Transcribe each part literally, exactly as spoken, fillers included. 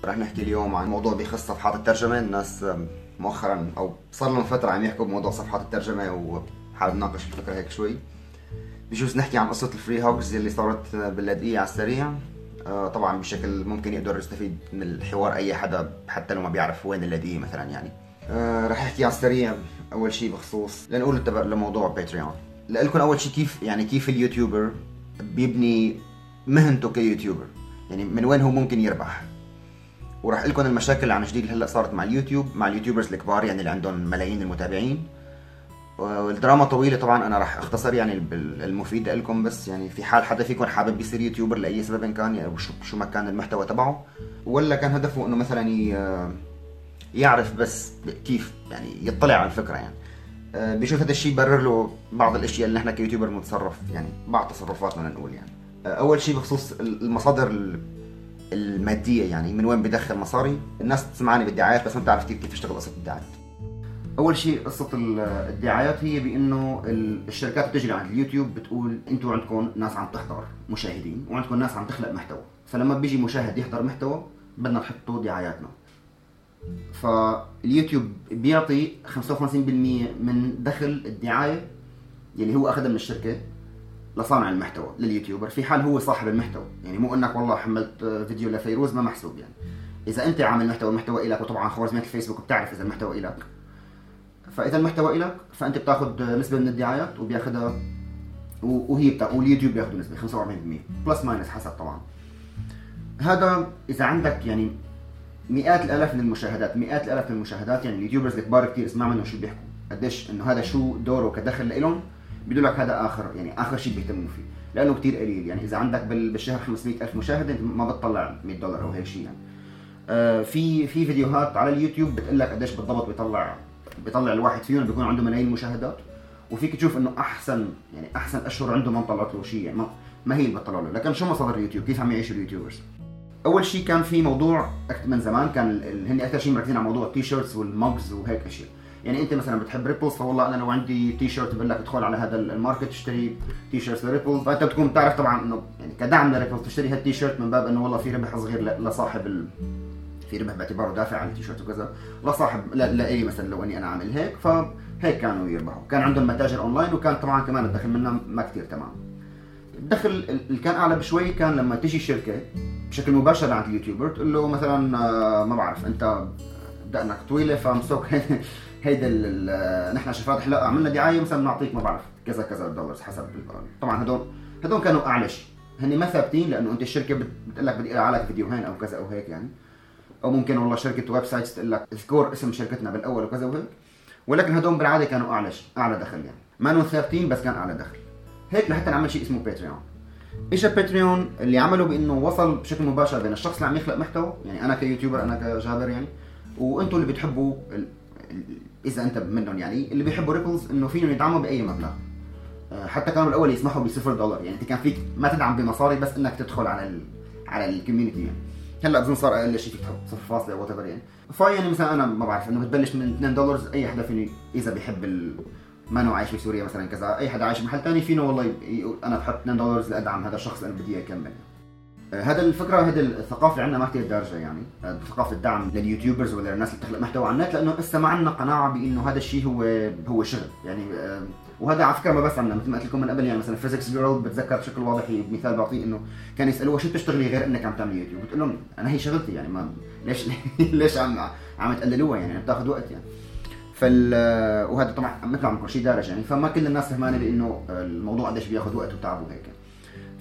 رح نحكي اليوم عن موضوع بيخص صفحات الترجمة. الناس مؤخرا أو صار لهم فترة عم يحكوا بموضوع صفحات الترجمة، وحابب ناقش الفكرة هيك شوي. بجوز نحكي عن قصة الفري هوكس اللي صارت باللاذقية على السريع. طبعا بشكل ممكن يقدر يستفيد من الحوار أي حدا حتى لو ما بيعرف وين اللاذقية مثلا. يعني رح أحكي على السريع أول شيء بخصوص لنقول التبع لموضوع باتريون. لألكم أول شيء كيف يعني كيف اليوتيوبر بيبني مهنته كيوتيوبر، يعني من وين هو ممكن يربح. وراح لكم المشاكل عن جديد هلا صارت مع اليوتيوب مع اليوتيوبرز الكبار، يعني اللي عندهم ملايين المتابعين. والدراما طويله طبعا، انا راح اختصر يعني المفيد لكم. بس يعني في حال حدا فيكم حابب يصير يوتيوبر لاي سبب كان، يعني شو شو ما كان المحتوى تبعه، ولا كان هدفه انه مثلا يعرف بس كيف يعني يطلع على الفكره، يعني بيشوف هذا الشيء يبرر له بعض الاشياء اللي نحن كيوتيوبر بنتصرف، يعني بعض تصرفاتنا نقول. يعني اول شيء بخصوص المصادر الماديه، يعني من وين بدخل مصاري. الناس تسمعني بالدعايات بس ما بتعرف كيف كيف تشتغل قصه الدعايات. اول شيء قصه الدعايات هي بانه الشركات بتجري على اليوتيوب بتقول انتم عندكم ناس عم تحضر مشاهدين وعندكم ناس عم تخلق محتوى، فلما بيجي مشاهد يحضر محتوى بدنا نحطه دعاياتنا. فاليوتيوب بيعطي خمسة وخمسين بالمية من دخل الدعايه اللي هو اخذها من الشركه لصانع المحتوى لليوتيوبر، في حال هو صاحب المحتوى. يعني مو انك والله حملت فيديو لفيروز ما محسوب. يعني اذا انت عامل محتوى المحتوى الك، وطبعا خوارزميات الفيسبوك بتعرف اذا المحتوى الك، فاذا المحتوى الك فانت بتاخذ نسبه من الدعايات وبياخذها، وهي بتاخذ واليوتيوب بياخذوا نسبه خمسة وأربعين بالمية بلس ماينس حسب طبعا. هذا اذا عندك يعني مئات الالاف من المشاهدات مئات الالاف من المشاهدات يعني اليوتيوبرز الكبار كثير اسمع منهم شو بيحكوا، قديش انه هذا شو دوره كدخل لهم. بيقول لك هذا اخر يعني اخر شيء بيهتموا فيه لانه كثير قليل. يعني اذا عندك بالشهر خمسمئة ألف مشاهد انت ما بتطلع مئة دولار او هيك شيء. يعني آه في في فيديوهات على اليوتيوب بتقول لك قديش بالضبط بيطلع بيطلع الواحد فيهم، بيكون عنده ملايين مشاهدات، وفيك تشوف انه احسن يعني احسن اشهر عنده ما طلعت له شيء، يعني ما, ما هي اللي بتطلع له. لكن شو مصادر اليوتيوب؟ كيف عم يعيشوا اليوتيوبرز؟ اول شيء كان في موضوع من زمان، كان هن اكثر شيء مركزين على موضوع التي شيرتس والماجز وهيك اشياء. يعني انت مثلا بتحب ريبلز، فوالله انا لو عندي تي شيرت بقول لك ادخل على هذا الماركت تشتري تي شيرتس لريبلز، فانت بتكون بتعرف طبعا انه يعني كدعم لريبلز تشتري هالتي شيرت من باب انه والله في ربح صغير لصاحب ال... في ربح باعتباره دافع عن التي شيرت وكذا لصاحب لا لاي مثلا لو اني انا عامل هيك، فهيك كانوا يربحوا. كان عندهم متاجر اونلاين، وكان طبعا كمان الدخل منها ما كثير تمام. الدخل اللي كان اعلى بشوي كان لما تيجي شركه بشكل مباشر عند اليوتيوبر تقول له مثلا ما بعرف انت دقنك طويله فمسوك هيدا نحن شفات حلاقه عملنا دعايه مثلا بنعطيك ما بعرف كذا كذا دولار حسب. طبعا هدول هدول كانوا اعلى شيء، هن ما ثابتين لانه انت الشركه بتقول لك بدي اقرا لك فيديوهين او كذا او هيك يعني، او ممكن والله شركه ويب سايتس تقول لك اذكر اسم شركتنا بالاول وكذا وهيك. ولكن هدول بالعاده كانوا اعلى شيء اعلى دخل، يعني ما انه ثابتين بس كان اعلى دخل. هيك لحتى نعمل شيء اسمه باتريون. ايش الباتريون؟ اللي عمله بانه وصل بشكل مباشر بين الشخص اللي عم يخلق محتوى، يعني انا كيوتيوبر انا كجابر يعني، وانتم اللي بتحبوا ال... ال... اذا انت منهم يعني اللي بيحبوا ريبلز انه فيهم يدعموا باي مبلغ. حتى كانوا بالاول يسمحوا بصفر دولار، يعني انت كان فيك ما تدعم بمصاري بس انك تدخل على ال... على الكوميونتي. يعني هلا بظن صار اقل شيء فيك تحط صفر فاصلة وات ايفر يعني. فيعني مثلا انا ما بعرف انه بتبلش من اثنين دولار، اي حدا فيني اذا بيحب ال... ما انه عايش بسوريا مثلا كذا، اي حدا عايش بمحل ثاني فينه والله يقول انا بحط اثنين دولار لادعم هذا الشخص لانه بدي اكمل. هذا الفكره هذه الثقافه اللي عندنا ما كثير دارجه، يعني ثقافه الدعم لليوتيوبرز ولا الناس اللي بتخلق محتوى على النت، لانه لسه ما عندنا قناعه بانه هذا الشيء هو هو شغل يعني. وهذا على فكره ما بس عندنا، مثل ما قلت لكم من قبل، يعني مثلا فيزيكس جيرل بتذكر بشكل واضح مثال بعطيه انه كان يسالوها شو بتشتغلي غير انك عم تعملي يوتيوب؟ بتقول لهم انا هي شغلتي، يعني ما ليش ليش عم عم تقللوها يعني بتاخذ وقت يعني. فال وهذا طبعا مثل عم كل شيء دارج يعني، فما كل الناس فهمانه بانه الموضوع قديش بياخذ وقت وتعب وهيك.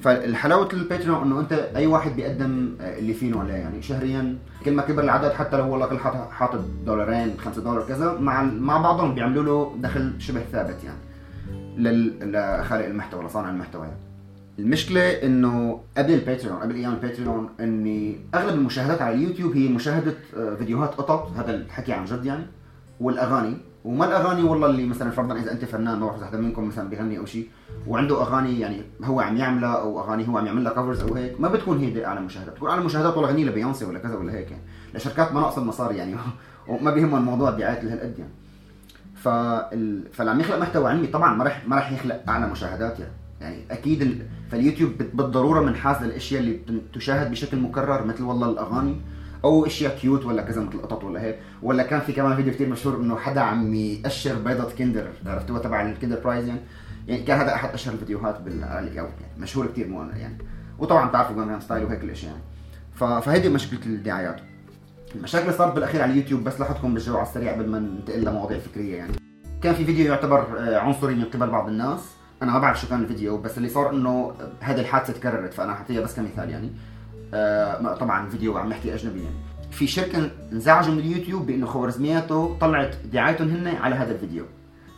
فالحلاوه الباتريون انه انت اي واحد بيقدم اللي فينه عليه، يعني شهريا كل ما كبر العدد، حتى لو والله كل حاطط دولارين خمسة دولار كذا مع مع بعضهم بيعملوا له دخل شبه ثابت يعني لخالق المحتوى لصانع المحتوى يعني. المشكله انه قبل الباتريون قبل ايام الباتريون اني اغلب المشاهدات على اليوتيوب هي مشاهده فيديوهات قطط، هذا الحكي عن جد يعني، والاغاني. وما الاغاني والله اللي مثلا فرضا اذا انت فنان ما بعرف حدا منكم مثلا بيغني او شيء وعنده اغاني يعني هو عم يعملها، او اغاني هو عم يعمل لها كفرز او هيك، ما بتكون هي اعلى مشاهدات، بتكون اعلى مشاهدات والله غني لبيونسي ولا كذا ولا هيك يعني، لشركات ما ناقصه المصاري يعني وما بيهمهم الموضوع الدعايات لهالقد يعني. فال... فاللي عم يخلق محتوى علمي طبعا ما راح ما راح يخلق اعلى مشاهدات يعني. يعني اكيد ال... فاليوتيوب بالضروره منحاز للاشياء اللي تشاهد بشكل مكرر، مثل والله الاغاني او اشياء كيوت ولا كذا مثل قطط ولا هيك. ولا كان في كمان فيديو كتير مشهور انه حدا عم يقشر بيضة كندر، عرفتوها تبع الكندر برايز يعني. يعني كان هذا احد اشهر الفيديوهات بالعالم يعني، مشهور كتير مو يعني. وطبعا بتعرفوا جانجنام ستايل وهيك الاشياء يعني. فهيدي مشكله الدعايات. المشاكل اللي صارت بالاخير على اليوتيوب، بس لاحظكم بالجو على السريع قبل ما ننتقل لمواضيع فكريه يعني. كان في فيديو يعتبر عنصري من قبل بعض الناس، انا ما بعرف شو كان الفيديو، بس اللي صار انه هذه الحادثه تكررت، فانا حطيها بس كمثال يعني. آه طبعا فيديو عم نحكي اجنبي يعني. في شركه انزعجوا من اليوتيوب بانه خوارزمياته طلعت دعايتهم هن على هذا الفيديو،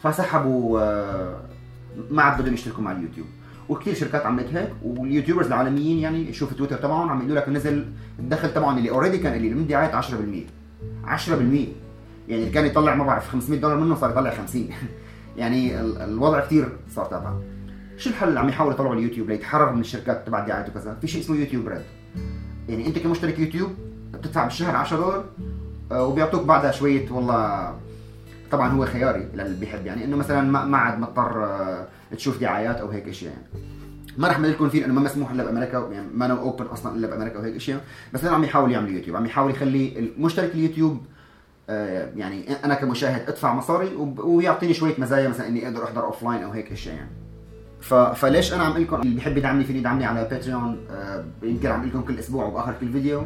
فسحبوا آه ما عاد بدهم يشتركوا مع اليوتيوب. وكثير شركات عملت هيك، واليوتيوبرز العالميين يعني شوف تويتر تبعهم عم يقولوا لك نزل الدخل تبعهم اللي اوريدي كان قليل من دعايات عشرة بالمية عشرة بالمية يعني اللي كان يطلع ما بعرف خمسمية دولار منه صار يطلع خمسين يعني الوضع كثير صار تابع. شو الحل اللي عم يحاولوا يطلعوا اليوتيوب ليتحرر من الشركات تبع الدعايات وكذا؟ في شيء اسمه يوتيوب ريد. يعني انت كمشترك يوتيوب بتدفع بالشهر عشرة دولار وبيعطوك بعدها شويه، والله طبعا هو خياري للي بيحب يعني، انه مثلا ما عاد مضطر تشوف دعايات او هيك اشياء يعني. ما رح لكم فيه لانه ما مسموح الا بامريكا يعني، ما نو اوبن اصلا الا بامريكا وهيك اشياء. بس انا عم يحاول يعمل يوتيوب، عم يحاول يخلي المشترك اليوتيوب آه يعني انا كمشاهد ادفع مصاري ويعطيني شويه مزايا، مثلا اني اقدر احضر اوف لاين او هيك اشياء يعني. فليش انا عم اقول لكم اللي بيحب يدعمني فيني يدعمني على باتريون، آه يمكن عم اقول لكم كل اسبوع وباخر كل فيديو.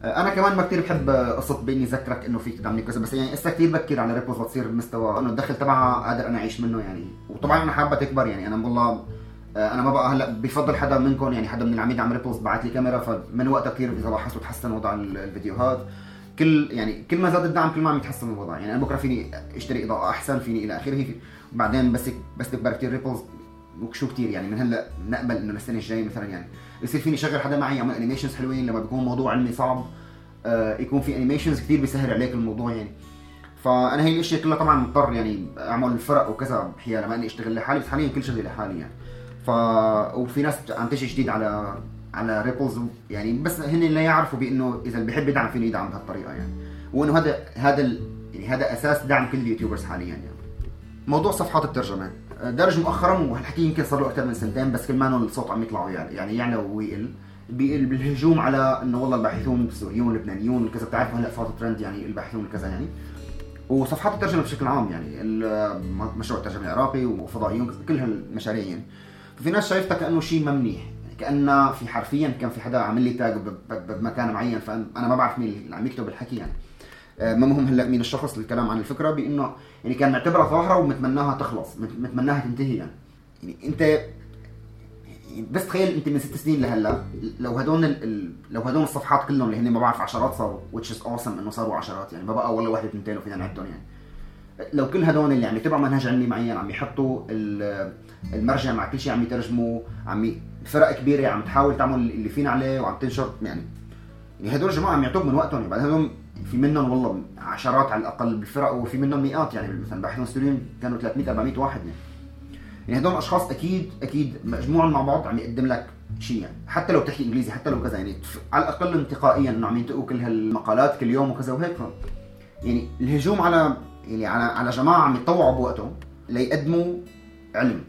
آه انا كمان ما كثير بحب قصه باني اذكرك انه فيك تدعمني كذا، بس يعني هسه كثير بكر على ريبوز لتصير بمستوى انه الدخل تبعها قادر انا اعيش منه يعني. وطبعا انا حابه تكبر يعني. انا والله انا ما بقى هلا بفضل حدا منكم يعني، حدا من العميد عم ريبوز بعت لي كاميرا، فمن وقتها كثير اذا لاحظتوا تحسن وضع الفيديوهات. كل يعني كل ما زاد الدعم كل ما عم يتحسن الوضع يعني. انا بكره فيني اشتري اضاءه احسن، فيني الى اخره. وبعدين بس بس تكبر كثير ريبوز وشو كثير يعني، من هلا نقبل انه السنه الجايه مثلا يعني يصير فيني شغل حدا معي يعمل انيميشنز حلوين. لما بيكون موضوع علمي صعب آه يكون في انيميشنز كثير بيسهل عليك الموضوع يعني. فانا هي الاشياء كلها طبعا مضطر يعني اعمل فرق وكذا بحيالة ما اني اشتغل لحالي، بس حاليا كل شغلي لحالي يعني. ف وفي ناس عم تجي جديد على على ريبلز يعني، بس هن اللي يعرفوا بانه اذا اللي بيحب يدعم فيني يدعم بهالطريقه يعني. وانه هذا هذا ال... يعني هذا اساس دعم كل اليوتيوبرز حاليا يعني. موضوع صفحات الترجمه درج مؤخرا، وهالحكي يمكن صار له اكثر من سنتين، بس كل ما الصوت عم يطلع يعني يعني يعلى ويقل بالهجوم على انه والله الباحثون السوريون اللبنانيون وكذا. بتعرفوا هلا صار ترند يعني الباحثون وكذا يعني. وصفحات الترجمه بشكل عام يعني مشروع الترجمه العراقي وفضائيون كل هالمشاريع يعني. ففي ناس شايفتها كانه شيء ما منيح يعني، كانه في حرفيا كان في حدا عامل لي تاج بمكان معين، فانا ما بعرف مين اللي عم يكتب الحكي يعني. ما مهم هلا مين الشخص الكلام عن الفكره، بانه يعني كان معتبرها ظاهره ومتمناها تخلص، متمناها تنتهي يعني. يعني انت بس تخيل انت من ست سنين لهلا لو هدول ال... لو هدول الصفحات كلهم اللي هن ما بعرف عشرات صاروا، which is awesome انه صاروا عشرات يعني، ما بقى ولا واحد اثنتين وفينا نعدهم يعني. لو كل هدول اللي عم يتبعوا منهج علمي معين عم يحطوا المرجع مع كل شيء، عم يترجموا، عم فرق كبيره عم تحاول تعمل اللي فينا عليه وعم تنشر يعني. يعني هدول الجماعه عم يعطوك من وقتهم يعني. بعد هدول في منهم والله عشرات على الاقل بالفرق، وفي منهم مئات يعني. مثلا باحثون سوريين كانوا ثلاثمية أربعمية واحد يعني. يعني هدول اشخاص اكيد اكيد مجموعهم مع بعض عم يقدم لك شيء يعني، حتى لو بتحكي انجليزي حتى لو كذا يعني، على الاقل انتقائيا انه عم ينتقوا كل هالمقالات كل يوم وكذا وهيك. يعني الهجوم على يعني على على جماعه عم يتطوعوا بوقتهم ليقدموا علم.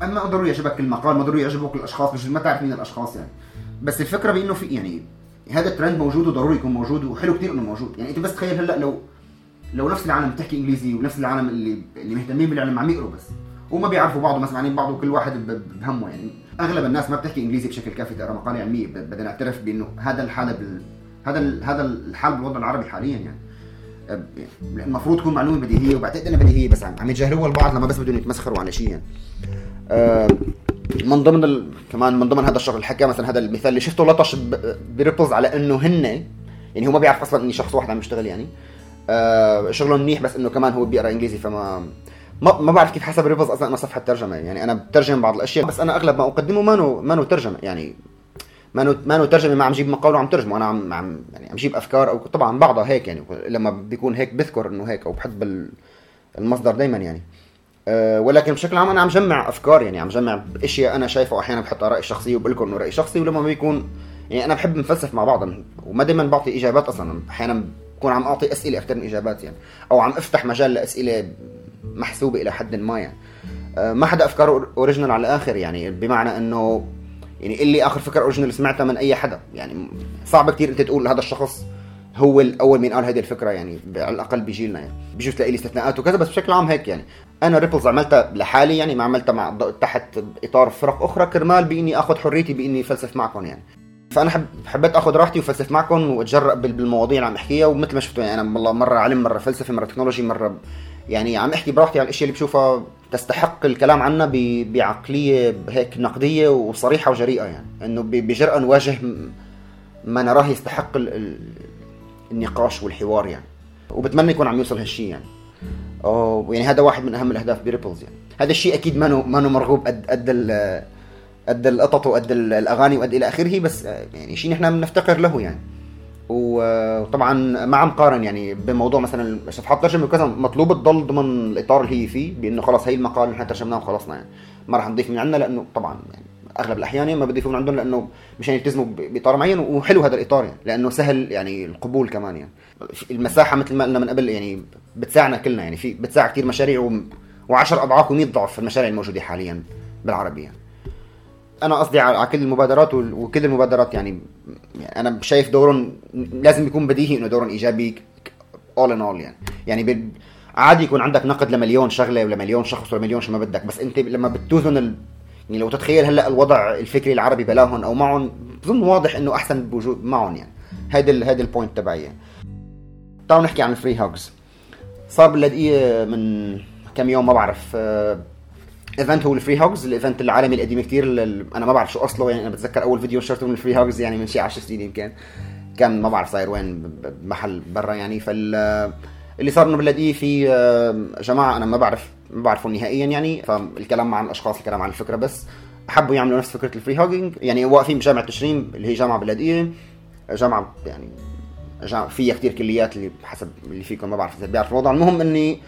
اما ضروري يعجبك المقال، ما ضروري يعجبك الاشخاص، مش ما تعرف مين الاشخاص يعني. بس الفكره بانه في يعني هذا الترند موجود وضروري يكون موجود، وحلو كثير انه موجود يعني. انت بس تخيل هلا لو لو نفس العالم بتحكي انجليزي ونفس العالم اللي اللي مهتمين بالعلم عم يقروا بس وما بيعرفوا بعض وما سمعانين بعض، وكل واحد بهمه يعني. اغلب الناس ما بتحكي انجليزي بشكل كافي تقرا مقاله علميه. بدنا نعترف بانه هذا الحاله بال... هذا ال... هذا الحال بالوضع العربي حاليا يعني. المفروض تكون معلومه بديهيه، وبعتقد انها بديهيه بس عم يتجاهلوها البعض لما بس بدهم يتمسخروا على شيء يعني. أه من ضمن ال... كمان من ضمن هذا الشغل اللي حكى مثلا هذا المثال اللي شفته لطش ب... بريبلز على انه هن يعني هو ما بيعرف اصلا اني شخص واحد عم يشتغل يعني. أه شغله منيح بس انه كمان هو بيقرا انجليزي، فما ما ما بعرف كيف حسب ريبلز اصلا انا صفحه ترجمه يعني. انا بترجم بعض الاشياء بس انا اغلب ما اقدمه ما نو ما نو ترجمه يعني. ما نو ما نو ترجمه، ما عم جيب مقال وعم ترجمه. انا عم عم يعني عم جيب افكار، او طبعا بعضها هيك يعني لما بيكون هيك بذكر انه هيك، او بحب المصدر دائما يعني. أه ولكن بشكل عام انا عم جمع افكار يعني، عم جمع اشياء انا شايفه، واحيانا بحط ارائي الشخصيه وبقول لكم انه رايي شخصي. ولما ما بيكون يعني انا بحب نفلسف مع بعض، وما دائما بعطي اجابات اصلا. احيانا بكون عم اعطي اسئله اكثر من اجابات يعني، او عم افتح مجال لاسئله محسوبه الى حد ما يعني. أه ما حدا افكاره اوريجينال على الاخر يعني، بمعنى انه يعني اللي اخر فكره اوريجينال سمعتها من اي حدا، يعني صعب كتير انت تقول هذا الشخص هو الاول من قال هذه الفكره، يعني على الاقل بيجيلنا يعني بيجوز تلاقي لي استثناءات وكذا، بس بشكل عام هيك يعني. انا ريبلز عملتها لحالي يعني، ما عملتها مع تحت اطار فرق اخرى كرمال باني اخذ حريتي باني فلسف معكم يعني. فانا حب حبيت اخذ راحتي وفلسف معكم واتجرأ بالمواضيع اللي عم احكيها، ومثل ما شفتوا يعني انا والله مره علم مره فلسفه مره تكنولوجي مره يعني عم احكي براحتي عن الاشياء اللي بشوفها تستحق الكلام عنها بعقليه هيك نقديه وصريحه وجريئه، يعني انه بجرأة نواجه ما نراه يستحق النقاش والحوار يعني. وبتمنى يكون عم يوصل هالشيء يعني. أو يعني هذا واحد من اهم الاهداف بريبلز يعني. هذا الشيء اكيد ما ما مرغوب قد قد قد القطط وقد الاغاني وقد الى اخره، بس يعني شيء نحن بنفتقر له يعني. وطبعا ما عم قارن يعني بموضوع مثلا صفحات ترجمه وكذا مطلوب تضل ضمن الاطار اللي هي فيه، بانه خلاص هي المقال نحن ترجمناه وخلصنا يعني، ما راح نضيف من عندنا، لانه طبعا يعني اغلب الاحيان ما بده يفهم عندهم لانه مشان يلتزموا باطار معين، وحلو هذا الاطار يعني لانه سهل يعني القبول كمان يعني. المساحه مثل ما قلنا من قبل يعني بتساعدنا كلنا يعني، في بتساعد كثير مشاريع وعشر اضعاف ومئة ضعف المشاريع الموجوده حاليا بالعربي يعني. انا قصدي على كل المبادرات وكل المبادرات يعني, يعني انا شايف دورهم لازم يكون بديهي انه دورهم ايجابي all in all يعني. يعني عادي يكون عندك نقد لمليون شغله ولا مليون شخص ولا مليون شو ما بدك، بس انت لما بتوزن ال... يعني لو تتخيل هلا الوضع الفكري العربي بلاهم او معهم، بظن واضح انه احسن بوجود معهم يعني. هيدا ال... هيدا البوينت تبعي يعني. تعالوا نحكي عن الفري هوجز. صار باللاذقيه من كم يوم ما بعرف ايفنت هو الفري هوجز، الايفنت العالمي القديم كتير اللي انا ما بعرف شو اصله يعني. انا بتذكر اول فيديو نشرته من الفري هوجز يعني من شي عشر سنين يمكن، كان ما بعرف صاير وين بمحل برا يعني. فال اللي صار انه باللاذقيه في جماعه انا ما بعرف ما بعرفهم نهائيا يعني، فالكلام عن الاشخاص الكلام عن الفكره بس حبوا يعملوا نفس فكره الفري هوجينج يعني. واقفين بجامعه تشرين اللي هي جامعه باللاذقيه، جامعه يعني جامعة فيها كتير كليات اللي حسب اللي فيكم ما بعرف اذا بيعرف الوضع. المهم اني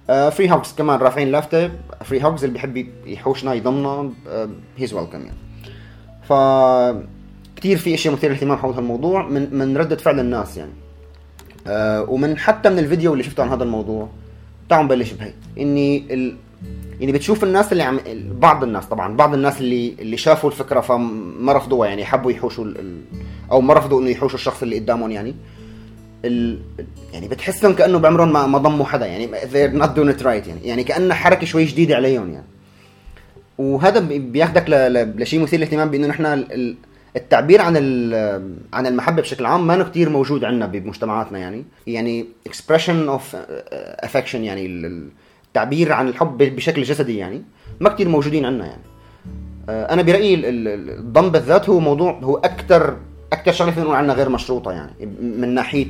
فري هوجز كمان رافعين لافته فري هوجز اللي بيحب يحوشنا يضمنا هيز ويلكم يعني. ف كتير في اشياء مثيره للاهتمام حول هالموضوع من من رده فعل الناس يعني. أه ومن حتى من الفيديو اللي شفته عن هذا الموضوع تعالوا نبلش بهي اني ال... يعني بتشوف الناس اللي عم بعض الناس طبعا بعض الناس اللي اللي شافوا الفكره فما رفضوها يعني، حبوا يحوشوا ال... او ما رفضوا انه يحوشوا الشخص اللي قدامهم يعني. ال... يعني بتحسهم كانه بعمرهم ما, ما ضموا حدا يعني they're not doing it right يعني يعني كأنه حركه شوي جديده عليهم يعني. وهذا بياخدك ل... لشيء مثير للاهتمام بانه نحن ال... التعبير عن عن المحبه بشكل عام ما كتير موجود عندنا بمجتمعاتنا يعني. يعني expression of affection يعني التعبير عن الحب بشكل جسدي يعني ما كتير موجودين عندنا يعني. انا برايي الضم بالذات هو موضوع هو اكثر اكثر شغله فينا نقول عنها غير مشروطه يعني من ناحيه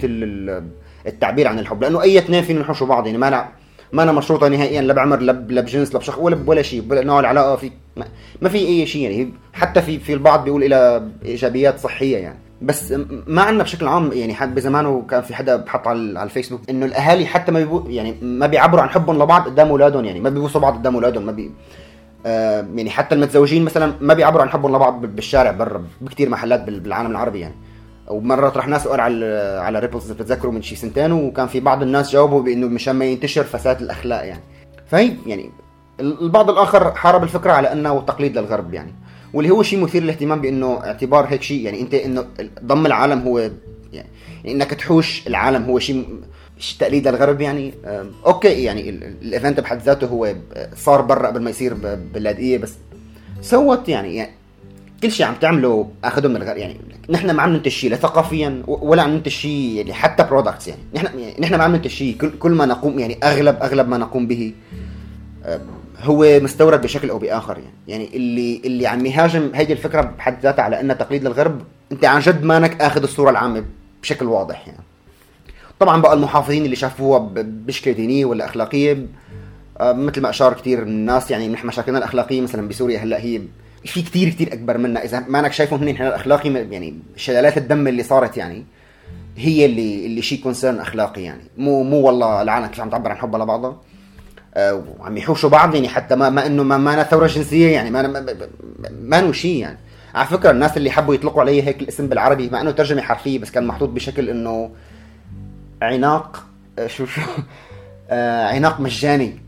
التعبير عن الحب، لانه اي اثنين فينا نحوشوا بعض يعني ما أنا ما انا مشروطه نهائيا لا بعمر لا بجنس لا بشخص ولا ولا شيء ولا نوع العلاقه في ما, ما في اي شيء يعني. حتى في في البعض بيقول الى ايجابيات صحيه يعني، بس ما عندنا بشكل عام يعني. حد بزمانه كان في حدا بحط على على الفيسبوك انه الاهالي حتى ما بيبو يعني ما بيعبروا عن حبهم لبعض قدام اولادهم يعني، ما بيبوسوا بعض قدام اولادهم، ما بي آه يعني حتى المتزوجين مثلا ما بيعبروا عن حبهم لبعض بالشارع برا بكتير محلات بالعالم العربي يعني. ومره طرحنا سؤال على على ريبلز بتتذكروا من شي سنتين، وكان في بعض الناس جاوبوا بانه مشان ما ينتشر فساد الاخلاق يعني. فهي يعني البعض الآخر حارب الفكرة على أنه تقليد للغرب يعني، واللي هو شيء مثير للاهتمام بأنه اعتبار هيك شيء يعني. أنت إنه ضم العالم هو يعني, يعني إنك تحوش العالم هو شيء تقليد للغرب يعني. أوكي يعني الإيفنت بحد ذاته هو صار برا قبل ما يصير باللاذقية، بس سوت يعني, يعني كل شيء عم تعمله أخذه من الغرب يعني. نحن ما عم ننتج شيء لا ثقافيا ولا عم ننتج شيء يعني حتى برودكتس يعني. نحن يعني نحن ما عم ننتج شيء، كل كل ما نقوم يعني أغلب أغلب ما نقوم به هو مستورد بشكل او باخر يعني. يعني اللي اللي عم يهاجم هيدي الفكره بحد ذاتها على انها تقليد للغرب، انت عن جد مانك اخذ الصوره العامه بشكل واضح يعني. طبعا بقى المحافظين اللي شافوها بشكل دينيه ولا اخلاقيه مثل ما اشار كتير الناس يعني. نحن مشاكلنا الاخلاقيه مثلا بسوريا هلا هي في كتير كتير اكبر منا، اذا مانك شايفهم هن الاخلاقي يعني شلالات الدم اللي صارت يعني هي اللي اللي شيء كونسيرن اخلاقي يعني. مو مو والله العالم كيف عم تعبر عن حبها لبعضها أه وعم يحوشوا بعض يعني. حتى ما ما انه ما ما ثوره جنسيه يعني، ما ما, ما نو شيء يعني. على فكره الناس اللي حبوا يطلقوا عليه هيك الاسم بالعربي مع انه ترجمه حرفيه بس كان محطوط بشكل انه عناق شو شو آه عناق مجاني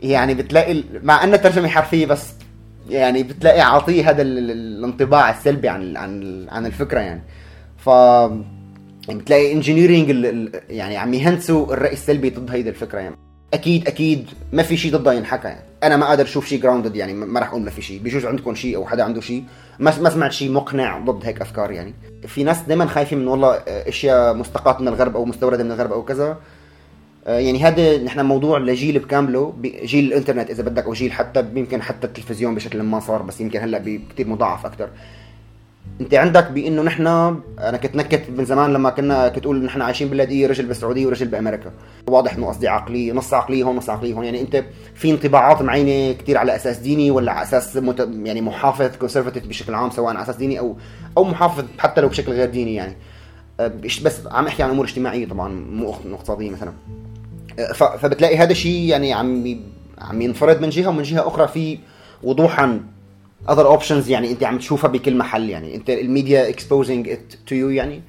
يعني. بتلاقي مع انه ترجمه حرفيه بس يعني بتلاقي عاطيه هذا الانطباع السلبي عن عن عن الفكره يعني. ف يعني بتلاقي انجينيرينج يعني عم يهندسوا الرأي السلبي ضد هيدي الفكره يعني. اكيد اكيد ما في شيء ضدها ينحكى يعني. انا ما قادر اشوف شيء جراوندد يعني، ما راح اقول ما في شيء. بيجوز عندكم شيء او حدا عنده شيء، ما ما سمعت شيء مقنع ضد هيك افكار يعني. في ناس دائما خايفين من والله اشياء مستقاة من الغرب او مستورده من الغرب او كذا يعني. هذا نحن موضوع لجيل بكامله، جيل الانترنت اذا بدك، او جيل حتى يمكن حتى التلفزيون بشكل ما صار، بس يمكن هلا بكثير مضاعف اكثر. انت عندك بانه نحن، انا كنت نكت من زمان لما كنا كنت اقول نحن عايشين باللاذقيه، رجل بالسعوديه ورجل بامريكا. واضح انه قصدي عقليه، نص عقليه هون نص عقليه هون يعني. انت في انطباعات معينه كثير على اساس ديني، ولا على اساس مت... يعني محافظ كونسرفاتيف بشكل عام، سواء على اساس ديني او او محافظ حتى لو بشكل غير ديني يعني. بس عم احكي عن امور اجتماعيه طبعا، مو اقتصاديه مثلا. ف... فبتلاقي هذا الشيء يعني عم عم ينفرد من جهه، ومن جهه اخرى في وضوحا other options يعني. انت عم تشوفها بكل محل يعني. انت الميديا exposing it to you يعني،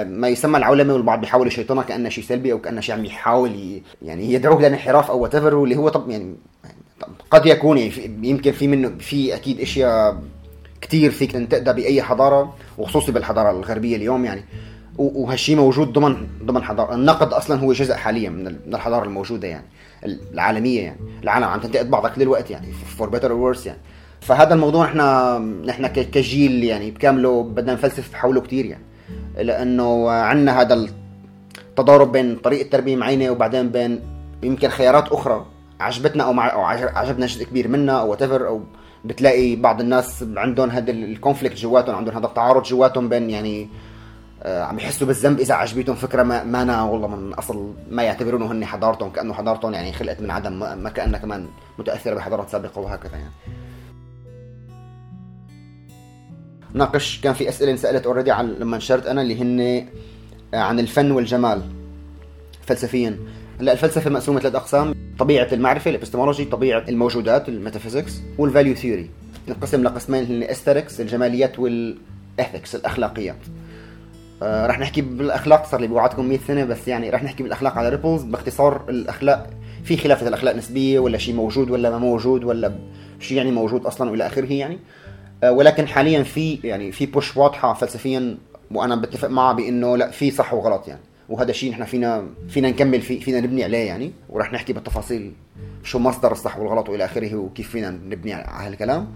ما يسمى العولمه، والبعض بيحاول يشيطنها كانه شيء سلبي او كانه شيء عم يحاول يعني يدعوك للانحراف او whatever، واللي هو طب يعني قد يكون يعني يمكن في منه، في اكيد اشياء كتير فيك تقدر باي حضاره، وخصوصي بالحضاره الغربيه اليوم يعني. وهالشيء موجود ضمن ضمن حضاره. النقد اصلا هو جزء حاليا من الحضاره الموجوده يعني العالميه يعني. العالم عم تنتقد بعضها كل الوقت يعني for better or worse يعني. فهذا الموضوع احنا نحن كجيل يعني بكامله بدنا نفلسف حوله كتير يعني، لانه عندنا هذا التضارب بين طريقه تربيه معينه وبعدين بين يمكن خيارات اخرى عجبتنا او مع او عجبنا جزء كبير منها او whatever. او بتلاقي بعض الناس عندهم هذا الكونفليكت جواتهم، عندهم هذا التعارض جواتهم بين يعني آه عم يحسوا بالذنب اذا عجبتهم فكره ما, ما أنا والله من اصل ما يعتبرونه هن حضارتهم، كانه حضارتهم يعني خلقت من عدم، ما كانها كمان متاثره بحضارات سابقه وهكذا يعني. ناقش كان في اسئله انسالت اوريدي عن لما نشرت انا، اللي هن عن الفن والجمال فلسفيا. هلا الفلسفه مقسومه ثلاث اقسام: طبيعه المعرفه الابستمولوجي، طبيعه الموجودات الميتافيزيكس، والفاليو ثيوري. انقسم لقسمين هن الاستركس الجماليات، والاثكس الاخلاقيات. آه رح نحكي بالاخلاق، صار لي بوعدكم مية سنه بس يعني رح نحكي بالاخلاق على ريبلز. باختصار الاخلاق في خلاف اذا الاخلاق نسبيه ولا شيء موجود ولا ما موجود، ولا شيء يعني موجود اصلا والى اخره يعني. ولكن حاليا في يعني في بوش واضحه فلسفيا، وانا بتفق معها بانه لا، في صح وغلط يعني. وهذا الشيء نحن فينا فينا نكمل فيه، فينا نبني عليه يعني. وراح نحكي بالتفاصيل شو مصدر الصح والغلط والى اخره، وكيف فينا نبني على هالكلام.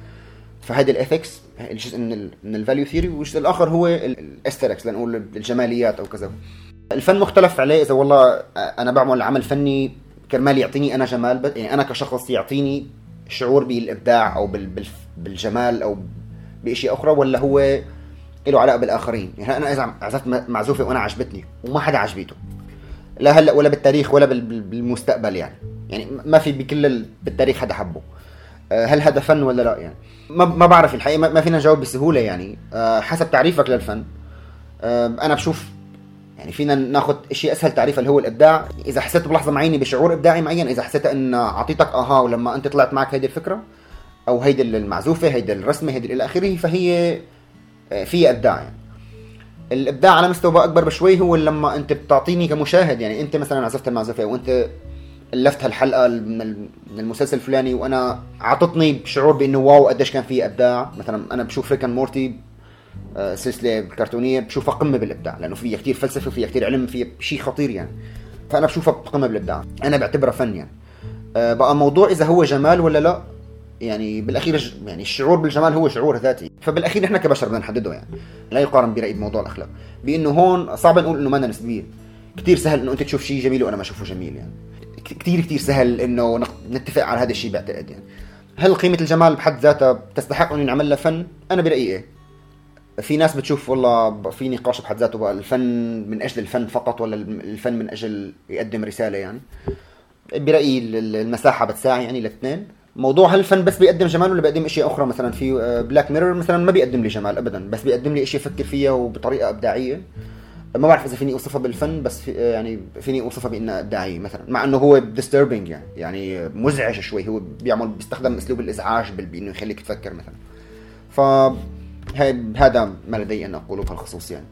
فهذا الاثكس الجزء من ال من الفاليو ثيوري، والجزء الاخر هو الاستركس لنقول الجماليات او كذا. الفن مختلف عليه. اذا والله انا بعمل عمل فني كرمال يعطيني انا جمال، يعني انا كشخص يعطيني شعور بالابداع او بالجمال او باشياء اخرى، ولا هو له علاقه بالاخرين يعني. انا اذا عزفت معزوفه وانا عجبتني وما حدا عجبته، لا هلا ولا بالتاريخ ولا بالمستقبل يعني يعني ما في بكل بالتاريخ حدا حبه، هل هذا فن ولا لا يعني؟ ما ما بعرف الحقيقه، ما فينا نجاوب بسهوله يعني. حسب تعريفك للفن. انا بشوف يعني فينا ناخذ شيء اسهل تعريف اللي هو الابداع. اذا حسيت بلحظه معينه بشعور ابداعي معين، اذا حسيت ان اعطيتك اها ولما انت طلعت معك هيدي الفكره او هيدي المعزوفه، هيدي الرسمه، هيدي الى اخره، فهي فيها ابداع يعني. الابداع على مستوى اكبر بشوي هو لما انت بتعطيني كمشاهد يعني. انت مثلا عزفت المعزوفه وانت الفت هالحلقه من المسلسل الفلاني، وانا عطتني بشعور بانه واو قديش كان فيه ابداع. مثلا انا بشوف ريك اند مورتي سلسله كرتونيه، بشوفها قمه بالابداع، لانه فيها كتير فلسفه وفيها كتير علم، فيها شيء خطير يعني. فانا بشوفها قمه بالابداع، انا بعتبرها فن يعني. بقى موضوع اذا هو جمال ولا لا يعني، بالاخير يعني الشعور بالجمال هو شعور ذاتي، فبالاخير نحن كبشر بدنا نحدده يعني. لا يقارن برايي بموضوع الاخلاق، بانه هون صعب نقول انه ما نسبيه. كتير سهل انه انت تشوف شيء جميل وانا ما اشوفه جميل يعني. كتير كتير سهل انه نتفق على هذا الشيء بعتقد يعني. هل قيمه الجمال بحد ذاتها تستحق انه نعمل لها فن؟ انا برايي ايه. في ناس بتشوف والله في نقاش بحد ذاته بقى الفن من اجل الفن فقط، ولا الفن من اجل يقدم رساله يعني. برايي المساحه بتساعي يعني الاثنين. موضوع هل الفن بس بيقدم جمال ولا بيقدم اشياء اخرى؟ مثلا في بلاك ميرور مثلا ما بيقدم لي جمال ابدا، بس بيقدم لي اشياء افكر فيها وبطريقه ابداعيه. ما بعرف اذا فيني اوصفها بالفن، بس في يعني فيني اوصفها بانها ابداعيه مثلا، مع انه هو disturbing يعني يعني مزعج شوي. هو بيعمل بيستخدم اسلوب الازعاج بانه يخليك تفكر مثلا. ف هذا ما لدي ان اقوله بهالخصوص يعني.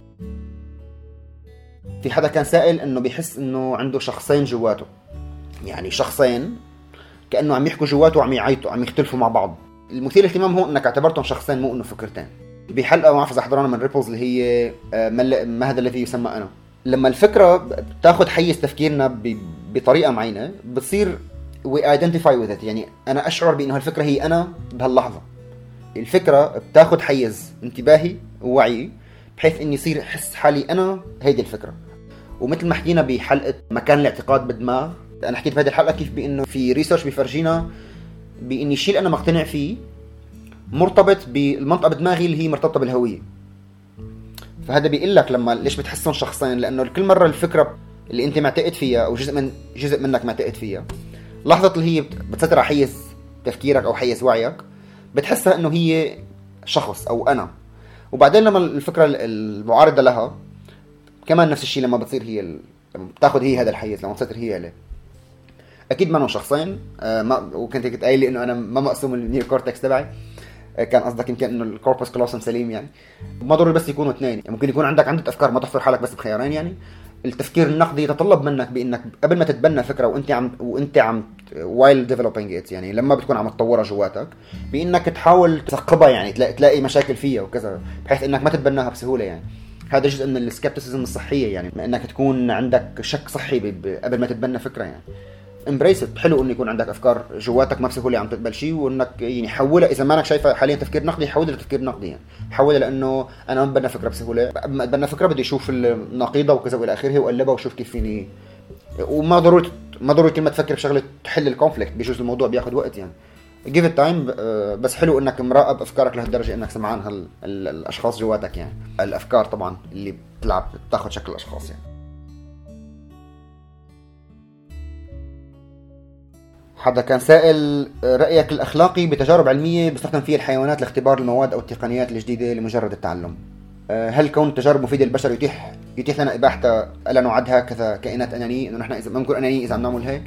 في حدا كان سائل انه بيحس انه عنده شخصين جواته، يعني شخصين كانه عم يحكوا جواته وعم يعيطوا، عم يختلفوا مع بعض. المثير للاهتمام هو انك اعتبرتهم شخصين مو انه فكرتين. بحلقه ما بعرف اذا حضرنا من ريبلز اللي هي ما هذا الذي يسمى انا، لما الفكره بتاخذ حيز تفكيرنا بطريقه معينه بتصير we identify with it، يعني انا اشعر بانه هالفكره هي انا بهاللحظه. الفكره بتاخذ حيز انتباهي ووعي بحيث اني يصير احس حالي انا هيدي الفكره. ومثل ما حكينا بحلقه مكان الاعتقاد بالدماغ، انا حكيت بهذه الحلقه كيف بانه في ريسيرش بيفرجينا باني الشيء اللي انا مقتنع فيه مرتبط بالمنطقه بدماغي اللي هي مرتبطه بالهويه. فهذا بيقول لك لما ليش بتحسهم شخصين، لانه كل مره الفكره اللي انت معتقد فيها او جزء من جزء منك معتقد فيها، لحظه اللي هي بتسيطر على حيز تفكيرك او حيز وعيك بتحسها انه هي شخص او انا. وبعدين لما الفكره المعارضه لها كمان نفس الشيء، لما بتصير هي ال... لما بتاخذ هي هذا الحيز، لما بتصير هي عليه، اكيد ما انهم شخصين. آه ما وكنت كنت قايل لي انه انا ما مقسوم النيو كورتكس تبعي، آه كان قصدك يمكن انه الكوربس كلوسم سليم، يعني ما ضروري بس يكونوا اثنين، يعني ممكن يكون عندك عدة افكار، ما تحصر حالك بس بخيارين. يعني التفكير النقدي يتطلب منك بانك قبل ما تتبنى فكره وانت عم وانت عم وايل ديفلوبينج ات، يعني لما بتكون عم تطورها جواتك، بانك تحاول تثقبها، يعني تلاقي تلاقي مشاكل فيها وكذا، بحيث انك ما تتبناها بسهوله. يعني هذا جزء من السكبتسيزم الصحيه، يعني انك تكون عندك شك صحي قبل ما تتبنى فكره. يعني امبريس ات، حلو انه يكون عندك افكار جواتك ما بسهوله عم تقبل شيء، وانك يعني حولها اذا ما انك شايفها حاليا تفكير نقدي، حولها لتفكير نقدي، يعني حولها لانه انا ما بتبنى فكره بسهوله، بتبنى فكره بدي اشوف النقيضه وكذا والى اخره واقلبها واشوف كيف فيني. وما ضروري ما ضروري كل ما تفكر بشغله تحل الكونفليكت، بيجوز الموضوع بياخذ وقت، يعني give it time. بس حلو انك مراقب افكارك لهالدرجه انك سمعان هال الاشخاص جواتك، يعني الافكار طبعا اللي بتلعب بتاخذ شكل الاشخاص. يعني حدا كان سائل رأيك الأخلاقي بتجارب علمية بيستخدم فيها الحيوانات لاختبار المواد أو التقنيات الجديدة لمجرد التعلم. هل كون التجارب مفيدة للبشر يتيح يتيح لنا إباحتها ألا نعدها كذا كائنات أنانية، إنه نحن إذا ممكن أنانية إذا عم نعمل هيك؟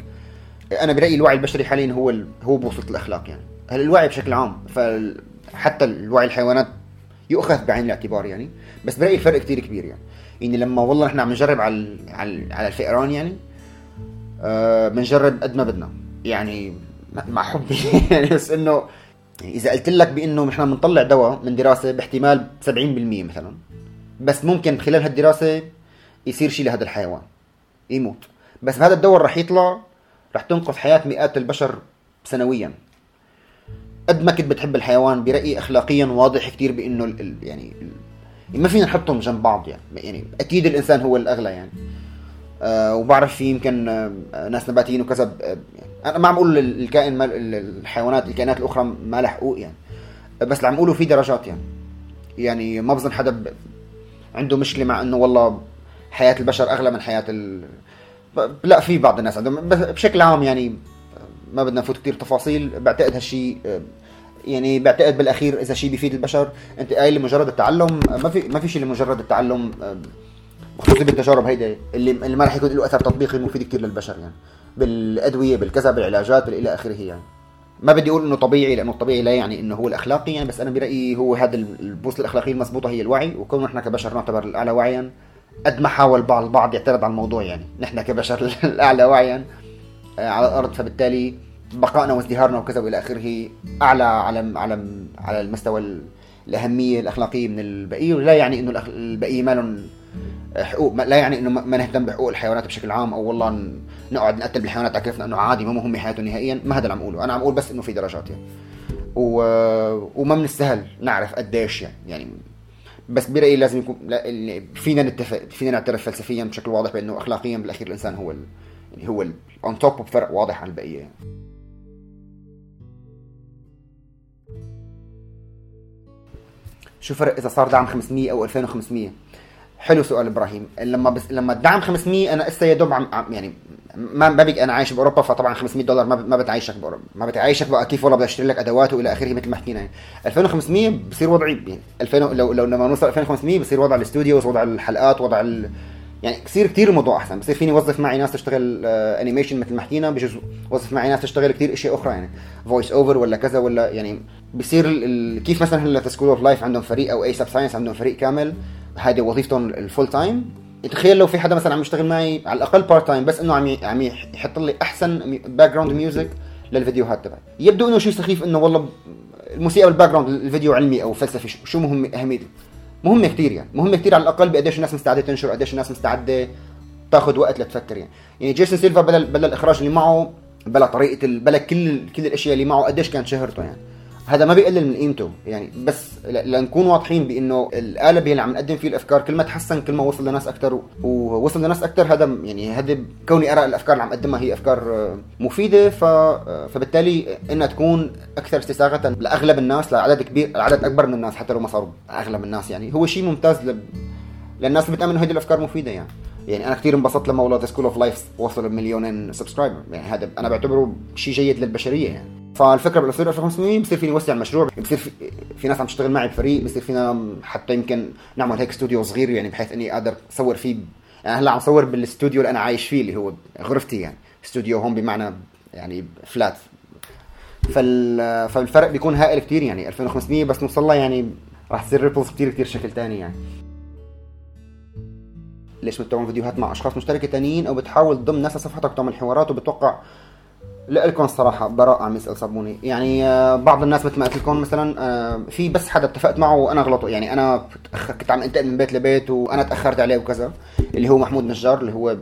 أنا برأيي الوعي البشري حاليا هو ال... هو بوصلة الأخلاق. يعني هل الوعي بشكل عام، فحتى الوعي الحيوانات يؤخذ بعين الاعتبار، يعني بس برأيي الفرق كتير كبير. يعني يعني لما والله نحن عم نجرب على على على الفئران، يعني أه بنجرب قد ما بدنا، يعني مع حبي يعني، بس انه اذا قلت لك بانه نحن بنطلع دواء من دراسه باحتمال سبعين بالمية مثلا، بس ممكن خلال هالدراسه يصير شيء لهذا الحيوان يموت، بس هذا الدواء رح يطلع رح تنقذ حياه مئات البشر سنويا. قد ما كنت بتحب الحيوان، برايي اخلاقيا واضح كتير بانه ال يعني ال ما فينا نحطهم جنب بعض. يعني يعني اكيد الانسان هو الاغلى، يعني أه وبعرف في يمكن أه ناس نباتيين وكذا. أه انا ما عم اقول الكائن الحيوانات الكائنات الاخرى ما لها حقوق، يعني بس اللي عم اقوله في درجات. يعني يعني ما بظن حدا عنده مشكله مع انه والله حياه البشر اغلى من حياه ال... لا، في بعض الناس عندهم، بس بشكل عام يعني ما بدنا نفوت كتير تفاصيل. بعتقد هالشيء يعني بعتقد بالاخير اذا شيء بيفيد البشر، انت قايل لمجرد التعلم، ما في ما في شيء لمجرد التعلم، خصوصا بالتجارب هيدا اللي اللي ما راح يكون له اثر تطبيقي مفيد كتير للبشر، يعني بالادويه بالكذا بالعلاجات بالى اخره. يعني ما بدي اقول انه طبيعي، لانه الطبيعي لا يعني انه هو الاخلاقي، يعني بس انا برايي هو هذا البوصله الاخلاقيه المضبوطه هي الوعي. وكون نحن كبشر نعتبر الاعلى وعيا، قد ما حاول بعض البعض يعترض على الموضوع، يعني نحن كبشر الاعلى وعيا على الارض، فبالتالي بقائنا وازدهارنا وكذا والى اخره اعلى على على على المستوى الاهميه الاخلاقيه من البقيه. ولا يعني انه البقيه ما لهم حقوق، لا يعني انه ما نهتم بحقوق الحيوانات بشكل عام، او والله نقعد نقتل بالحيوانات على كيفنا انه عادي ما مهم حياته نهائيا. ما هذا اللي عم اقوله، انا عم اقول بس انه في درجات، يعني و... وما من السهل نعرف قديش، يعني يعني بس برايي لازم يكون لا... فينا نتفق، فينا نعترف فلسفيا بشكل واضح بانه اخلاقيا بالاخير الانسان هو ال... يعني هو اون توب، بفرق واضح عن البقيه. يعني شو فرق اذا صار دعم خمسمية او ألفين وخمسمية؟ حلو سؤال ابراهيم. لما بس لما الدعم خمسمية، انا اسا يا دوب عم يعني ما بقى انا عايش باوروبا، فطبعا خمسمية دولار ما ما بتعيشك باوروبا، ما بتعيشك بقى كيف والله بدي اشتري لك ادوات والى اخره مثل ما حكينا. يعني ألفين وخمسمية بصير وضعي، يعني ألفين لو لو لما نوصل ألفين وخمسمية بصير وضع الاستوديوز، وضع الحلقات، وضع ال... يعني كثير كثير الموضوع احسن. بصير فيني اوظف معي ناس تشتغل آه انيميشن مثل ما حكينا، بجوز اوظف معي ناس تشتغل كثير اشياء اخرى، يعني فويس اوفر ولا كذا ولا يعني بصير ال... كيف مثلا هلا في سكول اوف لايف عندهم فريق، او اي سب ساينس عندهم فريق كامل، هذه وظيفتهم الفول تايم. تخيل لو في حدا مثلا عم يشتغل معي على الاقل بارت تايم، بس انه عم عم يحط لي احسن باك جراوند ميوزك للفيديوهات تبعي. يبدو انه شيء سخيف انه والله الموسيقى بالباك جراوند الفيديو علمي او فلسفي شو مهم اهميته؟ مهمه كثير يعني مهمه كثير على الاقل بقديش الناس مستعده تنشر قديش الناس مستعده تاخذ وقت لتفكر يعني يعني جيسون سيلفا بلا بلا الاخراج اللي معه بلا طريقه ال... بلا كل كل الاشياء اللي معه قديش كانت شهرته يعني هذا ما بيقلل من قيمته يعني بس لنكون واضحين بانه القالب اللي عم نقدم فيه الافكار كل ما تحسن كل ما وصل لناس اكثر ووصل لناس اكثر هذا يعني هذا كوني ارى الافكار اللي عم اقدمها هي افكار مفيده ف... فبالتالي انها تكون اكثر استساغه لاغلب الناس لعدد كبير عدد اكبر من الناس حتى لو ما صاروا اغلب الناس يعني هو شيء ممتاز ل... للناس اللي بتامن هذه الافكار مفيده يعني يعني انا كثير انبسطت لما والله سكول اوف لايف وصل بمليونين سبسكرايبر يعني هذا انا بعتبره شيء جيد للبشريه يعني فالفكره بالاصدار ألف وخمسمية بصير فيني اوسع المشروع بصير في, في ناس عم تشتغل معي بفريق بصير فينا حتى يمكن نعمل هيك استوديو صغير يعني بحيث اني اقدر اصور فيه يعني هلا عم صور بالاستوديو اللي انا عايش فيه اللي هو غرفتي يعني استوديو هون بمعنى يعني فلات فال فالفرق بيكون هائل كتير يعني ألفين وخمسمية بس نوصل لها يعني راح تصير ريبلز كتير كتير شكل تاني يعني ليش بتعمل فيديوهات مع اشخاص مشتركه تانيين او بتحاول تضم ناس صفحتك تعمل حوارات وبتوقع لكم الصراحه براء عم يسال صابوني يعني بعض الناس مثل ما قلت لكم مثلا في بس حدا اتفقت معه وانا غلطه يعني انا كنت عم انتقل من بيت لبيت وانا تاخرت عليه وكذا اللي هو محمود نجار اللي هو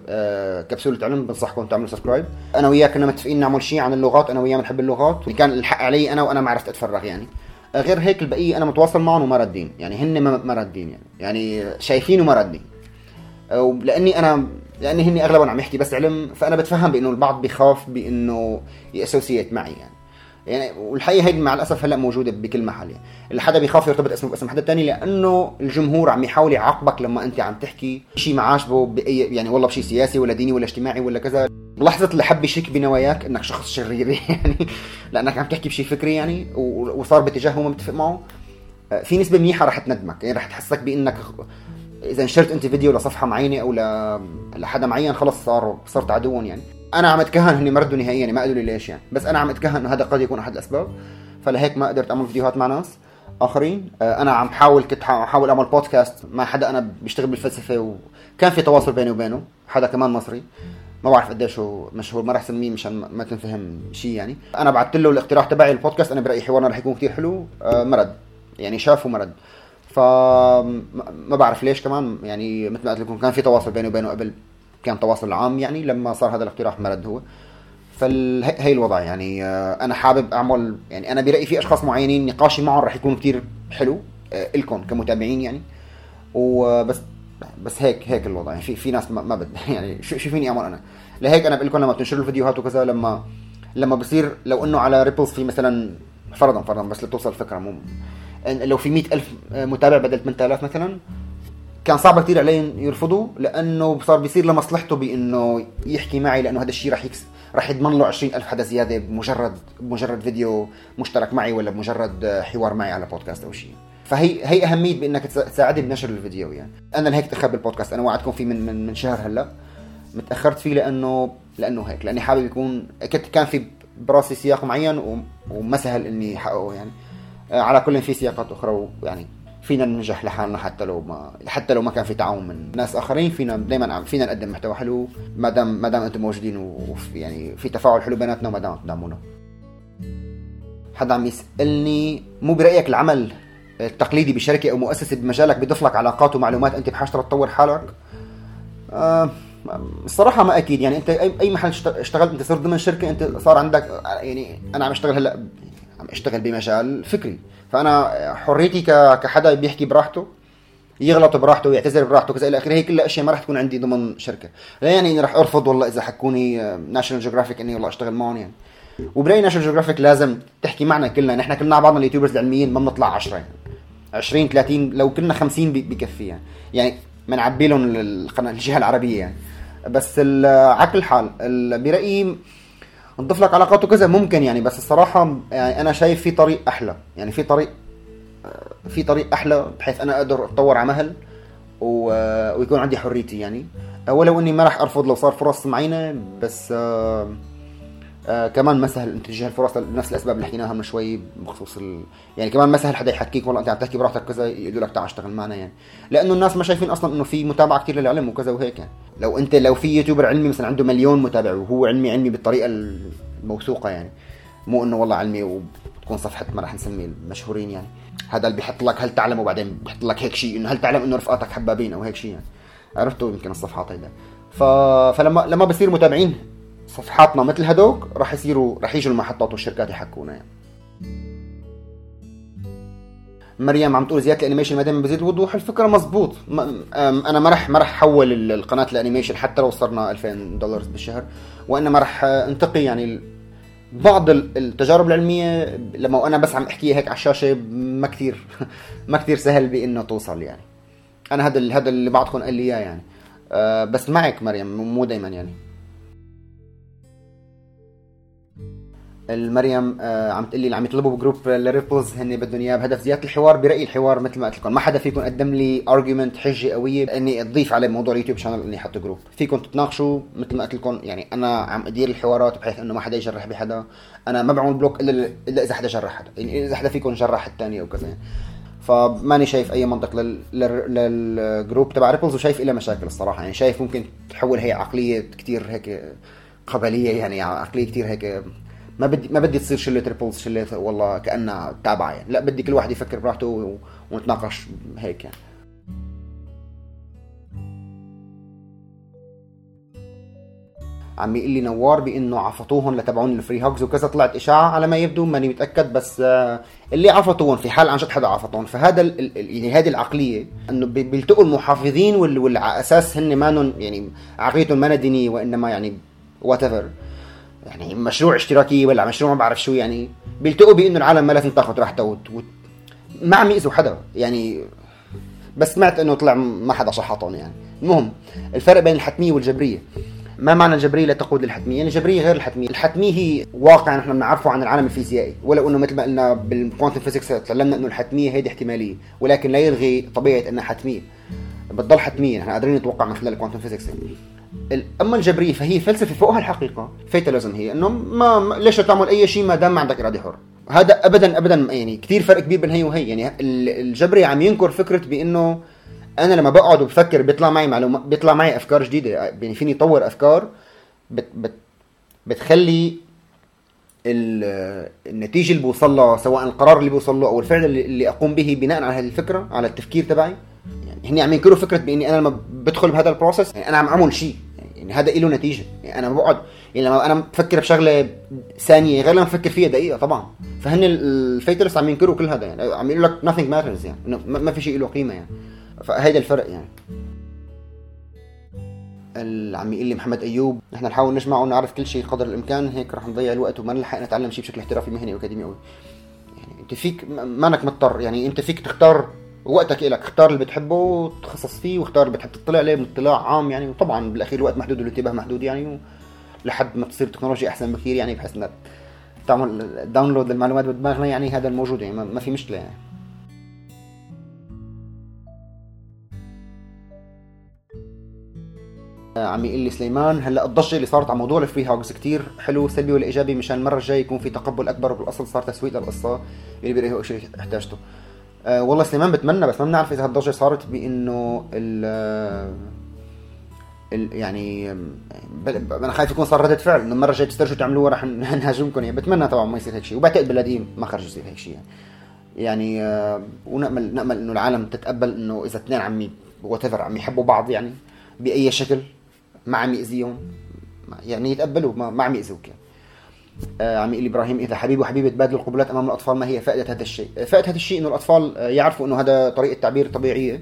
كبسوله علم بنصحكم تعملوا سبسكرايب انا وياه كنا متفقين نعمل شيء عن اللغات انا وياه بنحب اللغات وكان الحق علي انا وانا ما عرفت اتفرغ يعني غير هيك البقيه انا متواصل معهم وما ردين يعني هن ما ردين يعني يعني شايفين وما ردين لاني انا لاني هني اغلبهم عم يحكي بس علم فانا بتفهم بانه البعض بيخاف بانه ياسوسييت معي يعني يعني والحقيقه هيدي مع الاسف هلا موجوده بكل محل يعني اللي حدا بيخاف يرتبط اسمه باسم حدا تاني لانه الجمهور عم يحاول يعاقبك لما انت عم تحكي شيء ما عاجبه باي يعني والله بشيء سياسي ولا ديني ولا اجتماعي ولا كذا بلحظه اللي حب يشك بنواياك انك شخص شرير يعني لانك عم تحكي بشيء فكري يعني وصار باتجاه ما متفق معه في نسبه منيحه رح تندمك يعني رح تحسك بانك اذا نشرت انت فيديو لصفحه معينه او لحدا معين خلص صار صرت عدوهم يعني انا عم اتكهن هني مردوا نهائيا يعني ما قالوا لي ليش يعني بس انا عم اتكهن انه هذا قد يكون احد الاسباب فلهيك ما قدرت اعمل فيديوهات مع ناس اخرين انا عم حاول كنت احاول اعمل بودكاست مع حدا انا بيشتغل بالفلسفه وكان في تواصل بيني وبينه حدا كمان مصري ما بعرف قديش هو مشهور ما راح اسميه مشان ما تنفهم شيء يعني انا بعثت له الاقتراح تبعي البودكاست انا برايي حوارنا راح يكون كثير حلو مرد يعني شاف ومرد فما بعرف ليش كمان يعني مثل ما قلت لكم كان في تواصل بيني وبينه قبل كان تواصل عام يعني لما صار هذا الاقتراح مرد هو فهي الوضع يعني انا حابب اعمل يعني انا برايي في اشخاص معينين نقاشي معهم راح يكون كتير حلو لكم كمتابعين يعني وبس بس هيك هيك الوضع يعني في في ناس ما, ما بد يعني شو فيني اعمل انا لهيك انا بقول لكم لما بتنشروا الفيديوهات وكذا لما لما بصير لو انه على ريبلز في مثلا فرضا فرضا بس لتوصل الفكره مو لو في مئة ألف متابع بدل ثمانية آلاف مثلا كان صعب كتير عليه يرفضوا لانه صار بيصير لمصلحته بانه يحكي معي لانه هذا الشيء راح يكس راح يضمن له عشرين ألف حدا زياده بمجرد بمجرد فيديو مشترك معي ولا بمجرد حوار معي على بودكاست او شيء فهي هي اهميه بانك تساعدني بنشر الفيديو يعني انا لهيك تاخرت بالبودكاست انا وعدكم فيه من من, من شهر هلا متاخرت فيه لانه لانه هيك لاني حابب يكون كنت كان في براسي سياق معين وما سهل اني احققه يعني على كل في سياقات اخرى يعني فينا ننجح لحالنا حتى لو ما حتى لو ما كان في تعاون من ناس اخرين فينا دائما فينا نقدم محتوى حلو ما دام ما دام انتم موجودين وفي يعني في تفاعل حلو بيناتنا وما دام تدعمونا. حدا عم يسالني مو برايك العمل التقليدي بشركه او مؤسسه بمجالك بيضيف لك علاقات ومعلومات انت بحاجه تطور حالك؟ آه الصراحه ما اكيد يعني انت اي اي محل اشتغلت انت صرت ضمن شركه انت صار عندك يعني انا عم اشتغل هلا عم اشتغل بمجال فكري فانا حريتي كحدا بيحكي براحته يغلط براحته ويعتذر براحته كذا الى اخره هي كلها اشياء ما راح تكون عندي ضمن شركه لا يعني اني راح ارفض والله اذا حكوني ناشونال جيوغرافيك اني والله اشتغل معهم يعني وبرايي ناشونال جيوغرافيك لازم تحكي معنا كلنا نحن كلنا بعضنا اليوتيوبرز العلميين ما بنطلع عشرة يعني عشرين ثلاثين لو كنا خمسين بكفي يعني يعني بنعبي لهم القناه الجهه العربيه يعني بس على كل حال برايي نضيف لك علاقات وكذا ممكن يعني بس الصراحه يعني انا شايف في طريق احلى يعني في طريق في طريق احلى بحيث انا اقدر اتطور على مهل ويكون عندي حريتي يعني ولو اني ما راح ارفض لو صار فرص معينه بس آآ آآ كمان ما سهل انت تجاه الفرص لنفس الاسباب اللي حكيناها من شوي بخصوص ال... يعني كمان ما سهل حدا يحكيك والله انت عم تحكي براحتك كذا يقولوا لك تعال اشتغل معنا يعني لانه الناس ما شايفين اصلا انه في متابعه كثير للعلم وكذا وهيك يعني لو انت لو في يوتيوبر علمي مثلا عنده مليون متابع وهو علمي علمي بالطريقه الموثوقه يعني مو انه والله علمي تكون صفحه ما راح نسميه المشهورين يعني. هذا اللي بيحط لك هل تعلم وبعدين بيحط لك هيك شيء انه هل تعلم انه رفقاتك حبابين او هيك شيء يعني. عرفتوا يمكن الصفحات هيدا. ف... فلما لما بصير متابعين صفحاتنا مثل هدوك راح يصيروا راح يجوا المحطات والشركات يحكونا يعني. مريم عم تقول زياده الانيميشن ما دام بزيد وضوح. الفكره مزبوط. انا ما راح ما راح احول القناه الانيميشن حتى لو صرنا ألفين دولار بالشهر، وانما راح انتقي يعني بعض التجارب العلميه لما انا بس عم احكيها هيك على الشاشه ما كثير ما كثير سهل بانه توصل يعني. انا هذا هذا اللي بعضكم قال لي اياه يعني. أه بس معك مريم مو دائما يعني. المريم آه عم تقول لي اللي عم يطلبوا بجروب الريبلز هن بدهم اياه بهدف زياده الحوار. برايي الحوار مثل ما قلت لكم ما حدا فيكم قدم لي ارجيومنت حجه قويه اني اضيف على موضوع اليوتيوب شانل اني احط جروب. فيكم تتناقشوا مثل ما قلت لكم يعني. انا عم ادير الحوارات بحيث انه ما حدا يجرح بحدا. انا ما بعمل بلوك الا الا اذا حدا جرح حدا يعني. اذا حدا فيكم جرح الثاني او كذا. فماني شايف اي منطق لل... للجروب تبع ريبلز وشايف إلها مشاكل الصراحه يعني. شايف ممكن تحول هي عقليه كتير هيك قبليه يعني. عقليه كتير هيك ما بدي ما بدي تصير شله ريبلز شله والله كأنها تابعه يعني. لا بدي كل واحد يفكر براحته ونتناقش هيك يعني. عم يقول لي نوار بانه عفطوهم لتبعون الفري هوجز وكذا. طلعت اشاعه على ما يبدو ماني متاكد بس اللي عفطوهم في حال عن جد حدا عفطوهم. فهذا يعني هذه العقليه انه بيلتقوا المحافظين واللي على اساس هن مانن يعني عقليتهم ما دينيه وانما يعني وات ايفر يعني مشروع اشتراكي ولا مشروع ما بعرف شو يعني. بيلتقوا بانه العالم ما لازم تاخذ راحتها وت... وت... ما عم يأذوا حدا يعني. بس سمعت انه طلع ما حدا شحطهم يعني. المهم الفرق بين الحتميه والجبريه. ما معنى الجبريه لا تقود للحتميه؟ يعني الجبريه غير الحتميه. الحتميه هي واقع نحن بنعرفه عن العالم الفيزيائي، ولو انه مثل ما قلنا بالكوانتم فيزيكس تعلمنا انه الحتميه هي احتماليه، ولكن لا يلغي طبيعه انها حتميه. بتضل حتميه نحن قادرين نتوقع من خلال الكوانتم فيزيكس. اما الجبريه فهي فلسفه فوقها الحقيقه. فيتاليزم هي انه ما ليش تعمل اي شيء ما دام ما عندك اراده حر. هذا ابدا ابدا يعني كثير فرق كبير بين هي وهي يعني. الجبري عم ينكر فكره بانه انا لما بقعد وبفكر بيطلع معي معلومات، بيطلع معي افكار جديده يعني. فيني اطور افكار بت بت بتخلي النتيجه اللي بوصل له سواء القرار اللي بوصل له او الفعل اللي, اللي اقوم به بناء على هذه الفكره على التفكير تبعي يعني. هني عم ينكروا فكره باني انا لما بدخل بهذا البروسيس يعني انا عم اعمل شيء يعني هذا له نتيجه يعني. انا بقعد يعني لما انا بفكر بشغله ثانيه غير لما بفكر فيها دقيقه طبعا. فهن الفيتالست عم ينكروا كل هذا يعني. عم يقولوا لك nothing matters يعني ما في شيء له قيمه يعني. فهيدا الفرق يعني. عم يقول لي محمد ايوب نحن نحاول نجمع ونعرف كل شيء قدر الامكان هيك رح نضيع الوقت وما نلحق نتعلم شيء بشكل احترافي مهني واكاديمي قوي يعني. انت فيك مانك مضطر يعني. انت فيك تختار وقتك إلك. اختار اللي بتحبه وتخصص فيه واختار اللي بتحب تطلع عليه من اطلاع عام يعني. وطبعا بالاخير الوقت محدود والانتباه محدود يعني. لحد ما تصير التكنولوجيا احسن بكثير يعني بحيث انك تعمل داونلود للمعلومات بدماغنا يعني. هذا الموجود يعني ما في مشكله يعني. عم يقول لي سليمان هلا الضجه اللي صارت على موضوع الفري هوجز كتير حلو سلبي ولا ايجابي مشان المره الجايه يكون في تقبل اكبر بالاصل صار تسويق للقصه اللي بيلاقيه هو شيء احتاجته. أه والله سليمان بتمنى بس ما بنعرف اذا هالضجه صارت بانه ال ال يعني انا خايف يكون صار ردة فعل انه المره الجايه تسترجوا تعملوها رح نهاجمكم يعني. بتمنى طبعا ما يصير هيك شيء وبعتقد بالقديم ما خرج يصير هيك شيء يعني. يعني أه ونامل نامل انه العالم تتقبل انه اذا اثنين عم وات ايفر عم يحبوا بعض يعني باي شكل ما عم يأذيهم يعني يتقبلوا ما, ما عم يأذوك يعني. آه عم يقول ابراهيم اذا حبيب وحبيبه تبادلوا القبلات امام الاطفال ما هي فائده هذا الشيء؟ فائده هذا الشيء انه الاطفال يعرفوا انه هذا طريقه تعبير طبيعيه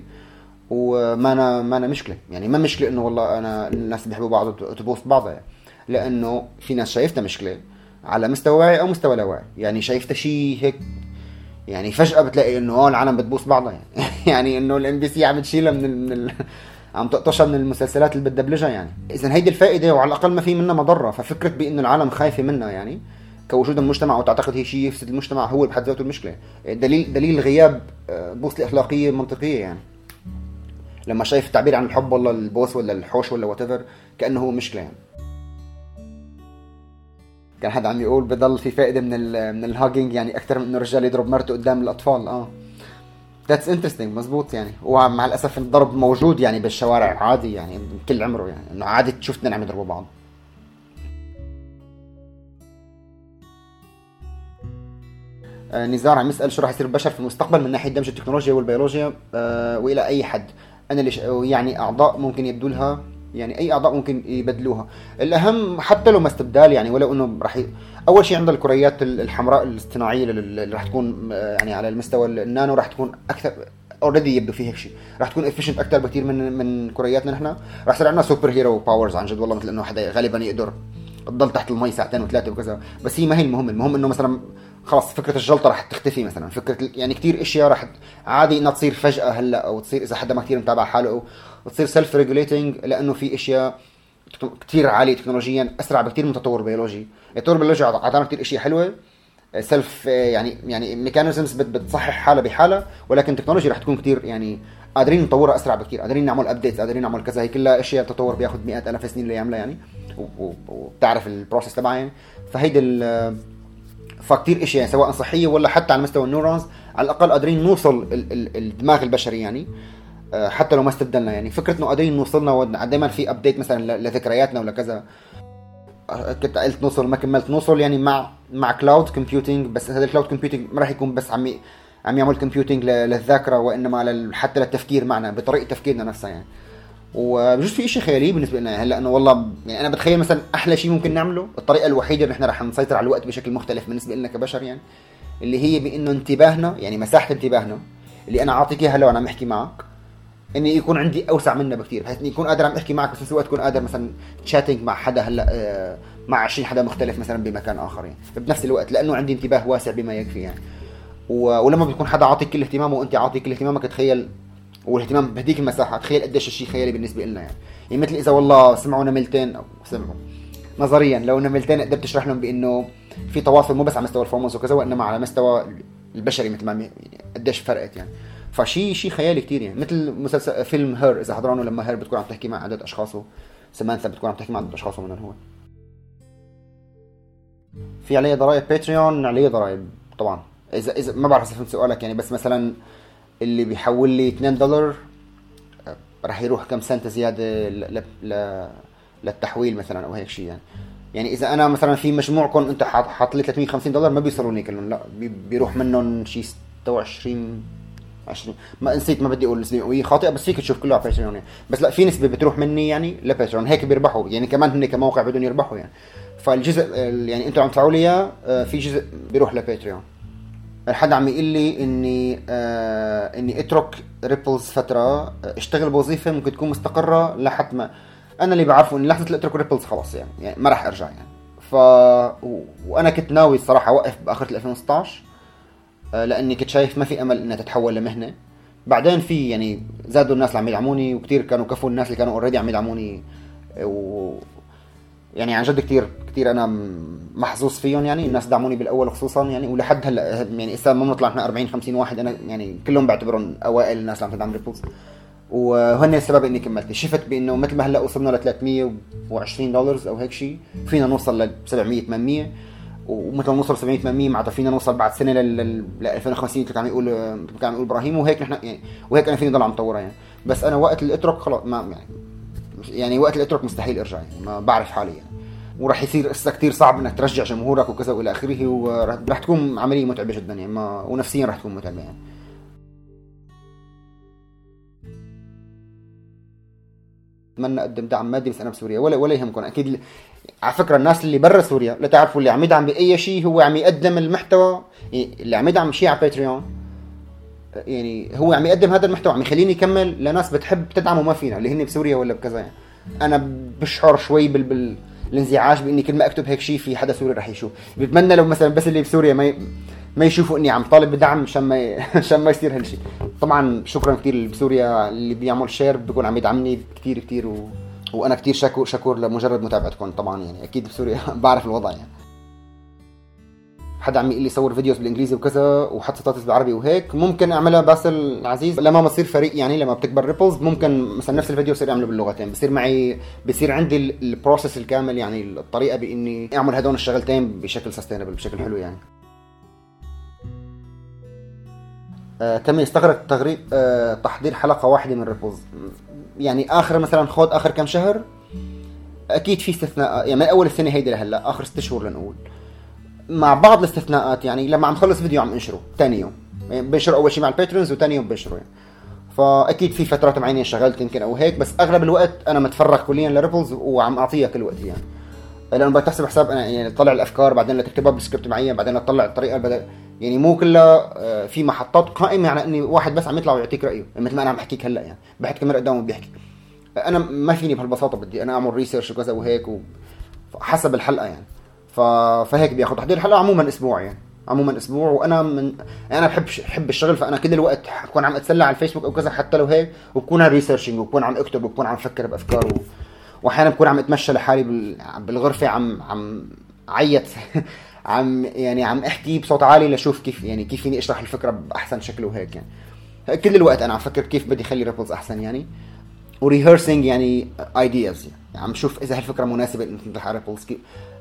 وما أنا ما أنا مشكله يعني. ما مشكله انه والله انا الناس بيحبوا بعض وتبوس بعضها يعني. لانه في ناس شايفتها مشكله على مستوى واعي او مستوى لا واعي يعني. شايفتها شيء هيك يعني فجاه بتلاقي انه اه العالم بتبوس بعضها يعني. يعني انه الام بي سي عم تشيلها من, من ال... عم تقطشها من المسلسلات اللي بتدبلجها يعني. اذا هيدي الفائده وعلى الاقل ما في منها مضره. ففكره بانه العالم خايفه منها يعني كوجود المجتمع وتعتقد هي شيء يفسد المجتمع هو بحد ذاته المشكله. دليل دليل غياب بوصله اخلاقيه منطقيه يعني. لما شايف التعبير عن الحب ولا البوس ولا الحوش ولا وات ايفر كانه هو مشكله يعني. كان حد عم يقول بضل في فائده من ال من الهاجينج يعني اكثر من انه الرجال يضرب مرته قدام الاطفال. اه That's interesting مزبوط يعني. ومع الأسف الضرب موجود يعني بالشوارع عادي يعني كل عمره يعني. إنه عادي تشوف اثنين عم يضربوا بعض. آه نزار عم يسال شو راح يصير البشر في المستقبل من ناحيه دمج التكنولوجيا والبيولوجيا آه والى اي حد. انا ليش يعني اعضاء ممكن يبدوا لها، يعني اي اعضاء ممكن يبدلوها. الاهم حتى لو ما استبدال يعني، ولو انه راح ي... اول شيء عندنا الكريات الحمراء الاصطناعيه اللي راح تكون يعني على المستوى النانو راح تكون اكثر اوريدي يبدو فيه هيك شيء، راح تكون افيشنت اكثر بكثير من من كرياتنا نحن. راح يصير عندنا سوبر هيرو باورز عن جد والله، مثل انه حدا غالبا يقدر تضل تحت المي ساعتين وثلاثه وكذا، بس هي ما هي المهم. المهم انه مثلا خلاص فكره الجلطه راح تختفي مثلا، فكره يعني كثير اشياء راح عادي انها تصير فجاه هلا، او تصير اذا حدا ما كثير متابع حاله، وتصير سيلف ريجوليتنج، لانه في اشياء كثير عاليه تكنولوجيا اسرع بكثير من تطور بيولوجي. التطور البيولوجي اعطانا كثير اشياء حلوه سيلف يعني يعني ميكانيزمز بتصحح حالها بحالها، ولكن التكنولوجيا رح تكون كثير يعني قادرين نطورها اسرع بكثير، قادرين نعمل ابديتس، قادرين نعمل كذا. هي كلها اشياء تطور بياخذ مئات الاف سنين ليعملها يعني، وبتعرف البروسيس تبعها يعني. فهيدي ال فكتير اشياء يعني سواء صحيه ولا حتى على مستوى النيورونز، على الاقل قادرين نوصل الدماغ البشري يعني حتى لو ما استبدلنا يعني. فكره انه قادرين نوصلنا دائما في ابديت مثلا لذكرياتنا ولا كذا. كنت قلت نوصل ما كملت نوصل يعني مع مع كلاود كومبيوتينج، بس هذا الكلاود كومبيوتينج ما راح يكون بس عم عم يعمل كومبيوتينج للذاكره، وانما حتى للتفكير معنا بطريقه تفكيرنا نفسها يعني. وبجوز في شيء خيالي بالنسبه لنا هلا، انه والله يعني انا بتخيل مثلا احلى شيء ممكن نعمله، الطريقه الوحيده اللي احنا راح نسيطر على الوقت بشكل مختلف بالنسبه لنا كبشر يعني، اللي هي بانه انتباهنا يعني مساحه انتباهنا اللي انا اعطيك اياها لو انا عم احكي معك، اني يكون عندي اوسع منها بكثير، بحيث اني يكون قادر عم احكي معك، بس في الوقت اكون قادر مثلا تشاتينج مع حدا هلا آه مع عشرين حدا مختلف مثلا بمكان اخر يعني بنفس الوقت، لانه عندي انتباه واسع بما يكفي يعني. ولما بيكون حدا عاطيك كل اهتمامه وانت عاطيك كل اهتمامك، تخيل والاهتمام بهديك المساحه، تخيل قديش الشيء خيالي بالنسبه لنا يعني. يعني مثل اذا والله سمعوا نملتين، او سمعوا نظريا لو نملتين قدرت تشرح لهم بانه في تواصل مو بس على مستوى الفورمونز وكذا، وانما على مستوى البشري مثل ما يعني قديش فرقت يعني. فشي شيء خيالي كتير يعني، مثل مسلسل فيلم هير اذا حضرانه، لما هير بتكون عم تحكي مع عدد اشخاص، وسمانثا بتكون عم تحكي مع عدد اشخاص من هو. في عليه ضرائب باتريون، عليه ضرائب طبعا. اذا اذا ما بعرف اذا فهمت سؤالك يعني، بس مثلا اللي بيحول لي اثنين دولار راح يروح كم سنت زياده ل... ل... للتحويل مثلا او هيك شيء يعني. يعني اذا انا مثلا في مجموعكم انت حاط لي ثلاثمية وخمسين دولار ما بيوصلوني كلهم، لا بي... بيروح منهم شيء ستة وعشرين عشرين، ما نسيت ما بدي اقول نسبه مئويه خاطئه، بس فيك تشوف كله على باتريون يعني. بس لا في نسبه بتروح مني يعني لباتريون، هيك بيربحوا يعني، كمان هن كموقع بدهم يربحوا يعني. فالجزء يعني انتم عم تدفعوا لي اياه في جزء بيروح لباتريون. الحد عم يقول لي اني آه اني اترك ريبلز فتره، اشتغل بوظيفه ممكن تكون مستقره لحد ما انا اللي بعرفه ان لحظه اترك ريبلز خلاص يعني, يعني ما راح ارجع يعني. ف و... وانا كنت ناوي الصراحه اوقف باخر ألفين وستة عشر آه لاني كنت شايف ما في امل انها تتحول لمهنه. بعدين في يعني زادوا الناس اللي عم يدعموني، وكثير كانوا كفوا الناس اللي كانوا اوريدي عم يدعموني، و يعني عن جد كتير كتير انا محظوظ فيهم يعني. الناس دعموني بالاول خصوصا يعني، ولحد هلا يعني اسا ما بنطلع احنا أربعين خمسين واحد، انا يعني كلهم بعتبرهم اوائل الناس اللي عم تدعم ريبلز، وهن السبب اني كملت. شفت بانه مثل ما هلا وصلنا ل ثلاثمية وعشرين دولار او هيك شيء، فينا نوصل ل سبعمية ثمانمية، ومثل ما نوصل سبعمية ثمانمية معناتها فينا نوصل بعد سنه لل ألفين وخمسين اللي كان عم يقول كان عم يقول ابراهيم، وهيك نحن يعني، وهيك انا فيني ضل عم طورها يعني. بس انا وقت الاترك خلاص ما يعني يعني وقت الاترك مستحيل ارجع يعني، ما بعرف حالي يعني. وراح يصير قصة كتير صعب انك ترجع جمهورك وكذا والى اخره، وراح تكون عمليه متعبه جدا يعني، ما ونفسيا راح تكون متعبه يعني. اتمنى اقدم دعم مادي بس انا بسوريا، ولا ولا يهمكم اكيد ل... على فكره الناس اللي برا سوريا لا تعرفوا، اللي عم يدعم باي شيء هو عم يقدم المحتوى يعني، اللي عم يدعم شيء على باتريون يعني هو عم يقدم هذا المحتوى، عم يخليني اكمل لناس بتحب تدعمه ما فينا، اللي هن بسوريا ولا بكذا يعني. انا بشعر شوي بال, بال... الانزعاج باني كل ما اكتب هيك شيء في حدا سوري رح يشوف. بتمنى لو مثلا بس اللي بسوريا ما ي... ما يشوفوا اني عم طالب بدعم مشان ما ي... مشان ما يصير هالشيء. طبعا شكرا كثير اللي بسوريا اللي بيعمل شير بيكون عم يدعمني كثير كثير، و... وانا كثير شكور شكور لمجرد متابعتكم طبعا يعني. اكيد بسوريا بعرف الوضع يعني. حدا عم يقول لي صور فيديوز بالانجليزي وكذا وحط ستاتس بالعربي وهيك، ممكن اعملها باسل عزيز لما بصير فريق يعني، لما بتكبر ريبلز ممكن مثلا نفس الفيديو يصير يعمله باللغتين، بصير معي بصير عندي البروسيس الكامل يعني، الطريقه باني اعمل هدول الشغلتين بشكل سستينبل بشكل حلو يعني. آه كم يستغرق تغريب آه تحضير حلقه واحده من ريبلز يعني؟ اخر مثلا خود اخر كم شهر اكيد في استثناء يعني، من اول السنه هيدي لهلا اخر ست شهور لنقول مع بعض الاستثناءات يعني لما عم خلص فيديو عم انشره ثاني يوم، يعني بنشره اول شيء مع الباترونز وثاني يوم بنشره يعني. فاكيد في فترات معينه شغلت يمكن او هيك، بس اغلب الوقت انا متفرغ كليا لريبلز وعم اعطيها كل وقت يعني. لانه بتحسب حساب انا يعني تطلع الافكار بعدين لتكتبها بسكريبت معين بعدين تطلع الطريقه بدل يعني مو كلها في محطات قائمه على اني واحد بس عم يطلع ويعطيك رايه مثل ما انا عم بحكيك هلا يعني بحكي كاميرا قدامه بيحكي. انا ما فيني بهالبساطه، بدي انا اعمل ريسيرش وكذا وهيك وحسب الحلقه يعني. ف... فهيك بياخذ تحضير الحلقه عموما اسبوع يعني عموما اسبوع. وانا من انا بحب بحب الشغل، فانا كل الوقت بكون عم اتسلى على الفيسبوك او كذا حتى لو هيك، وبكون ريسيرشنج وبكون عم اكتب وبكون عم افكر بافكار و... واحيانا بكون عم اتمشى لحالي بال... بالغرفه عم عم عيط عم يعني عم احكي بصوت عالي لشوف كيف يعني كيف فيني اشرح الفكره باحسن شكل وهيك يعني. كل الوقت انا عم افكر كيف بدي اخلي ريبلز احسن يعني، وريهرسينج يعني ايدياز يعني عم شوف اذا هالفكره مناسبه انك تطرح على ريبلز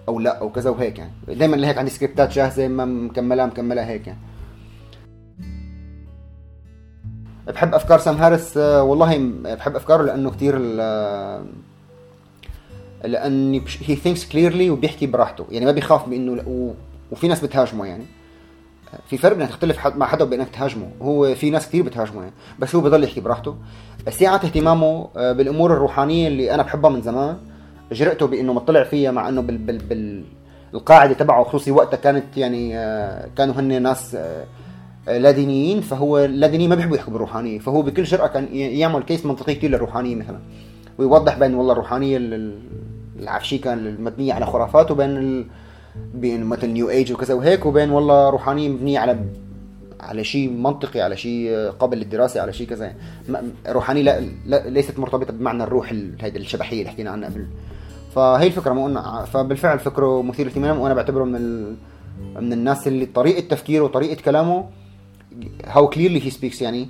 او لا او كذا وهيك يعني. دائما لهيك عندي سكريبتات جاهزه ما مكملها مكملها هيك يعني. بحب افكار سام هاريس والله، بحب افكاره لانه كثير لاني هي ثينكس كليرلي وبيحكي براحته يعني ما بيخاف بانه و... وفي ناس بتهاجمه يعني. في فرق انك تختلف مع حدا بانك تهاجمه، هو في ناس كثير بتهاجمه يعني بس هو بضل يحكي براحته. سعة اهتمامه بالامور الروحانيه اللي انا بحبها من زمان، جرأته بانه مطلع فيها مع انه بال بال بال القاعده تبعه خصوصي وقتها كانت يعني كانوا هن ناس لا دينيين، فهو لا ديني ما بيحبوا يحكوا بالروحانيه، فهو بكل جرأة كان يعمل كيس منطقي كثير للروحانيه مثلا، ويوضح بين والله الروحانيه العفشيكه المبنيه على خرافات وبين ال... بين مثل نيو ايج وكذا وهيك، وبين والله روحانيه مبنيه على على شيء منطقي على شيء قابل للدراسه على شيء كذا. روحانيه لا... لا ليست مرتبطه بمعنى الروح هيدي الشبحيه اللي حكينا عنها قبل. فهي الفكره مو قلنا، فبالفعل فكره مثير اهتمام وانا بعتبره من ال... من الناس اللي طريقه تفكيره وطريقه كلامه هاو كليرلي هي سبيكس يعني،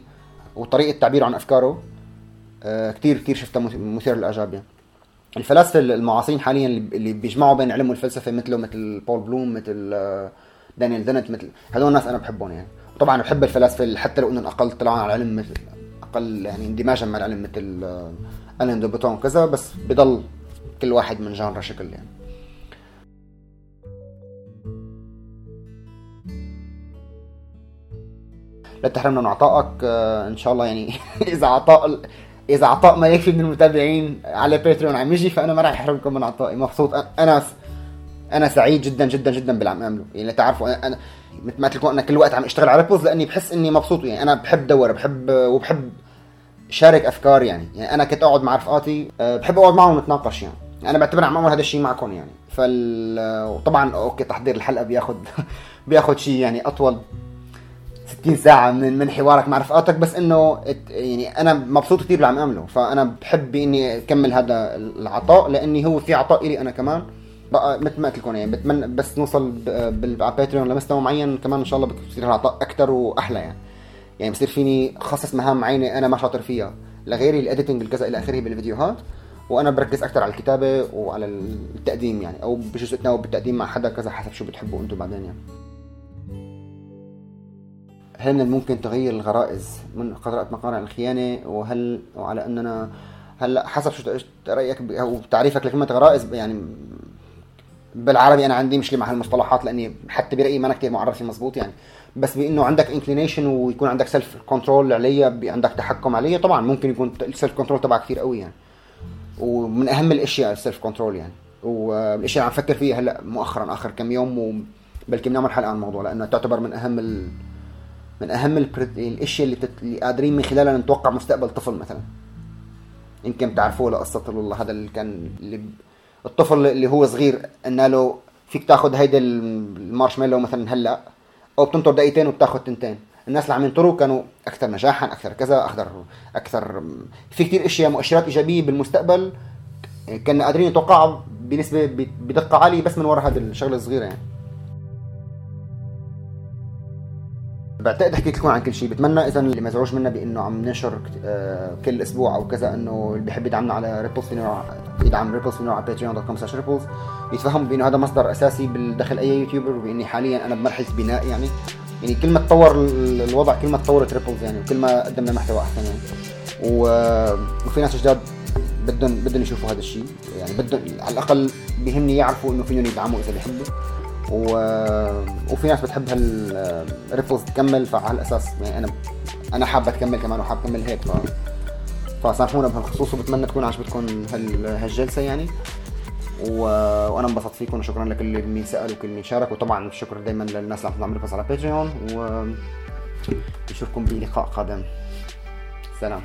وطريقه تعبيره عن افكاره آه كتير كتير شفتها مثير للاعجاب يعني. الفلاسفه المعاصرين حاليا اللي بيجمعوا بين العلم والفلسفه مثله مثل بول بلوم مثل دانيال دينت مثل هذول الناس انا بحبهم يعني. وطبعا بحب الفلاسفه حتى لو انهم اقل طلعوا على العلم مثل اقل يعني اندماجا مع العلم مثل الين دو بوتون وكذا، بس بضل كل واحد من جانرا شكل يعني. لا تحرمنا من عطائك ان شاء الله يعني. اذا عطاء اذا عطاء ما يكفي من المتابعين على باتريون عم يجي، فانا ما راح احرمكم من عطائي. مبسوط انا انا سعيد جدا جدا جدا باللي عم اعمله يعني. تعرفوا انا مثل ما قلت لكم انا كل وقت عم اشتغل على ريبلز لاني بحس اني مبسوط يعني. انا بحب دور بحب وبحب شارك افكار يعني. يعني انا كنت اقعد مع رفقاتي بحب اقعد معهم ونتناقش يعني. انا بعتبر عم اعمل هذا الشيء معكم يعني. فال وطبعا اوكي تحضير الحلقه بياخذ بياخذ شيء يعني اطول ستين ساعة من من حوارك مع رفقاتك، بس انه يعني انا مبسوط كثير باللي عم اعمله. فانا بحب اني اكمل هذا العطاء لاني هو في عطاء الي انا كمان بقى مثل ما قلت لكم يعني. بتمنى بس نوصل بالباتريون لمستوى معين كمان ان شاء الله بصير العطاء اكثر واحلى يعني. يعني بصير فيني خصص مهام معينه انا ما شاطر فيها لغيري، الاديتنج الكذا الى اخره بالفيديوهات، وانا بركز اكثر على الكتابه وعلى التقديم يعني، او بجزء اتناوب بالتقديم مع حدا كذا حسب شو بتحبوا انتم بعدين يعني. هل من الممكن تغيير الغرائز من قراءة مقالة عن الخيانة؟ وهل وعلى أننا هلا حسب شو رأيك أو تعريفك لكلمة غرائز يعني بالعربي. أنا عندي مشكلة مع هالمصطلحات لأني حتى برأيي ما أنا كتير معرف مزبوط يعني. بس بأنه عندك انكلينيشن ويكون عندك سيلف كنترول عليها، عندك تحكم عليها، طبعا ممكن يكون السيلف كنترول تبعك كتير قوي يعني. ومن أهم الأشياء السيلف كنترول يعني. والأشياء اللي عم فكر فيها هلا مؤخرا آخر كم يوم، وبلكي بنعمل حلقة عن الموضوع لأنه تعتبر من أهم ال من اهم الاشياء اللي, بتت... اللي قادرين من خلالها نتوقع مستقبل طفل مثلا. يمكن تعرفوه لقصه والله هذا اللي كان اللي... الطفل اللي هو صغير قلنا له فيك تاخذ هيدا المارشميلو مثلا هلا او بتنطر دقيقتين وبتاخذ تنتين. الناس اللي عم ينطروا كانوا اكثر نجاحا اكثر كذا اكثر اكثر في كثير اشياء مؤشرات ايجابيه بالمستقبل كنا قادرين نتوقعها بنسبه بدقه عاليه بس من وراء هذه الشغله الصغيره يعني. بعتقد حكيت لكم عن كل شيء. بتمنى اذا اللي مزعوج منا بانه عم ننشر كل اسبوع او كذا انه اللي بيحب يدعمنا على ريبلز فينا يدعم ريبلز فينا على باتريون دوت كوم سلاش ريبلز، يتفهم بانه هذا مصدر اساسي بالدخل اي يوتيوبر، وباني حاليا انا بمرحله بناء يعني. يعني كل ما تطور الوضع كل ما تطورت ريبلز يعني، وكل ما قدمنا محتوى احسن يعني. وفي ناس جداد بدهم بدهم يشوفوا هذا الشيء يعني، بدهم على الاقل بيهمني يعرفوا انه فيهم يدعموا اذا بيحبوا. و... وفي ناس بتحب هالريبلز تكمل، فعلى الاساس يعني انا انا حابه تكمل كمان وحاب اكمل هيك، ف فسامحونا بهالخصوص، وبتمنى تكون عجبتكم هال... هالجلسه يعني. و... وانا انبسطت فيكم، وشكرا لكل مين سال وكل مين شارك، وطبعا الشكر دائما للناس اللي عم تعمل ريبوست على باتريون، ونشوفكم بلقاء قادم. سلام.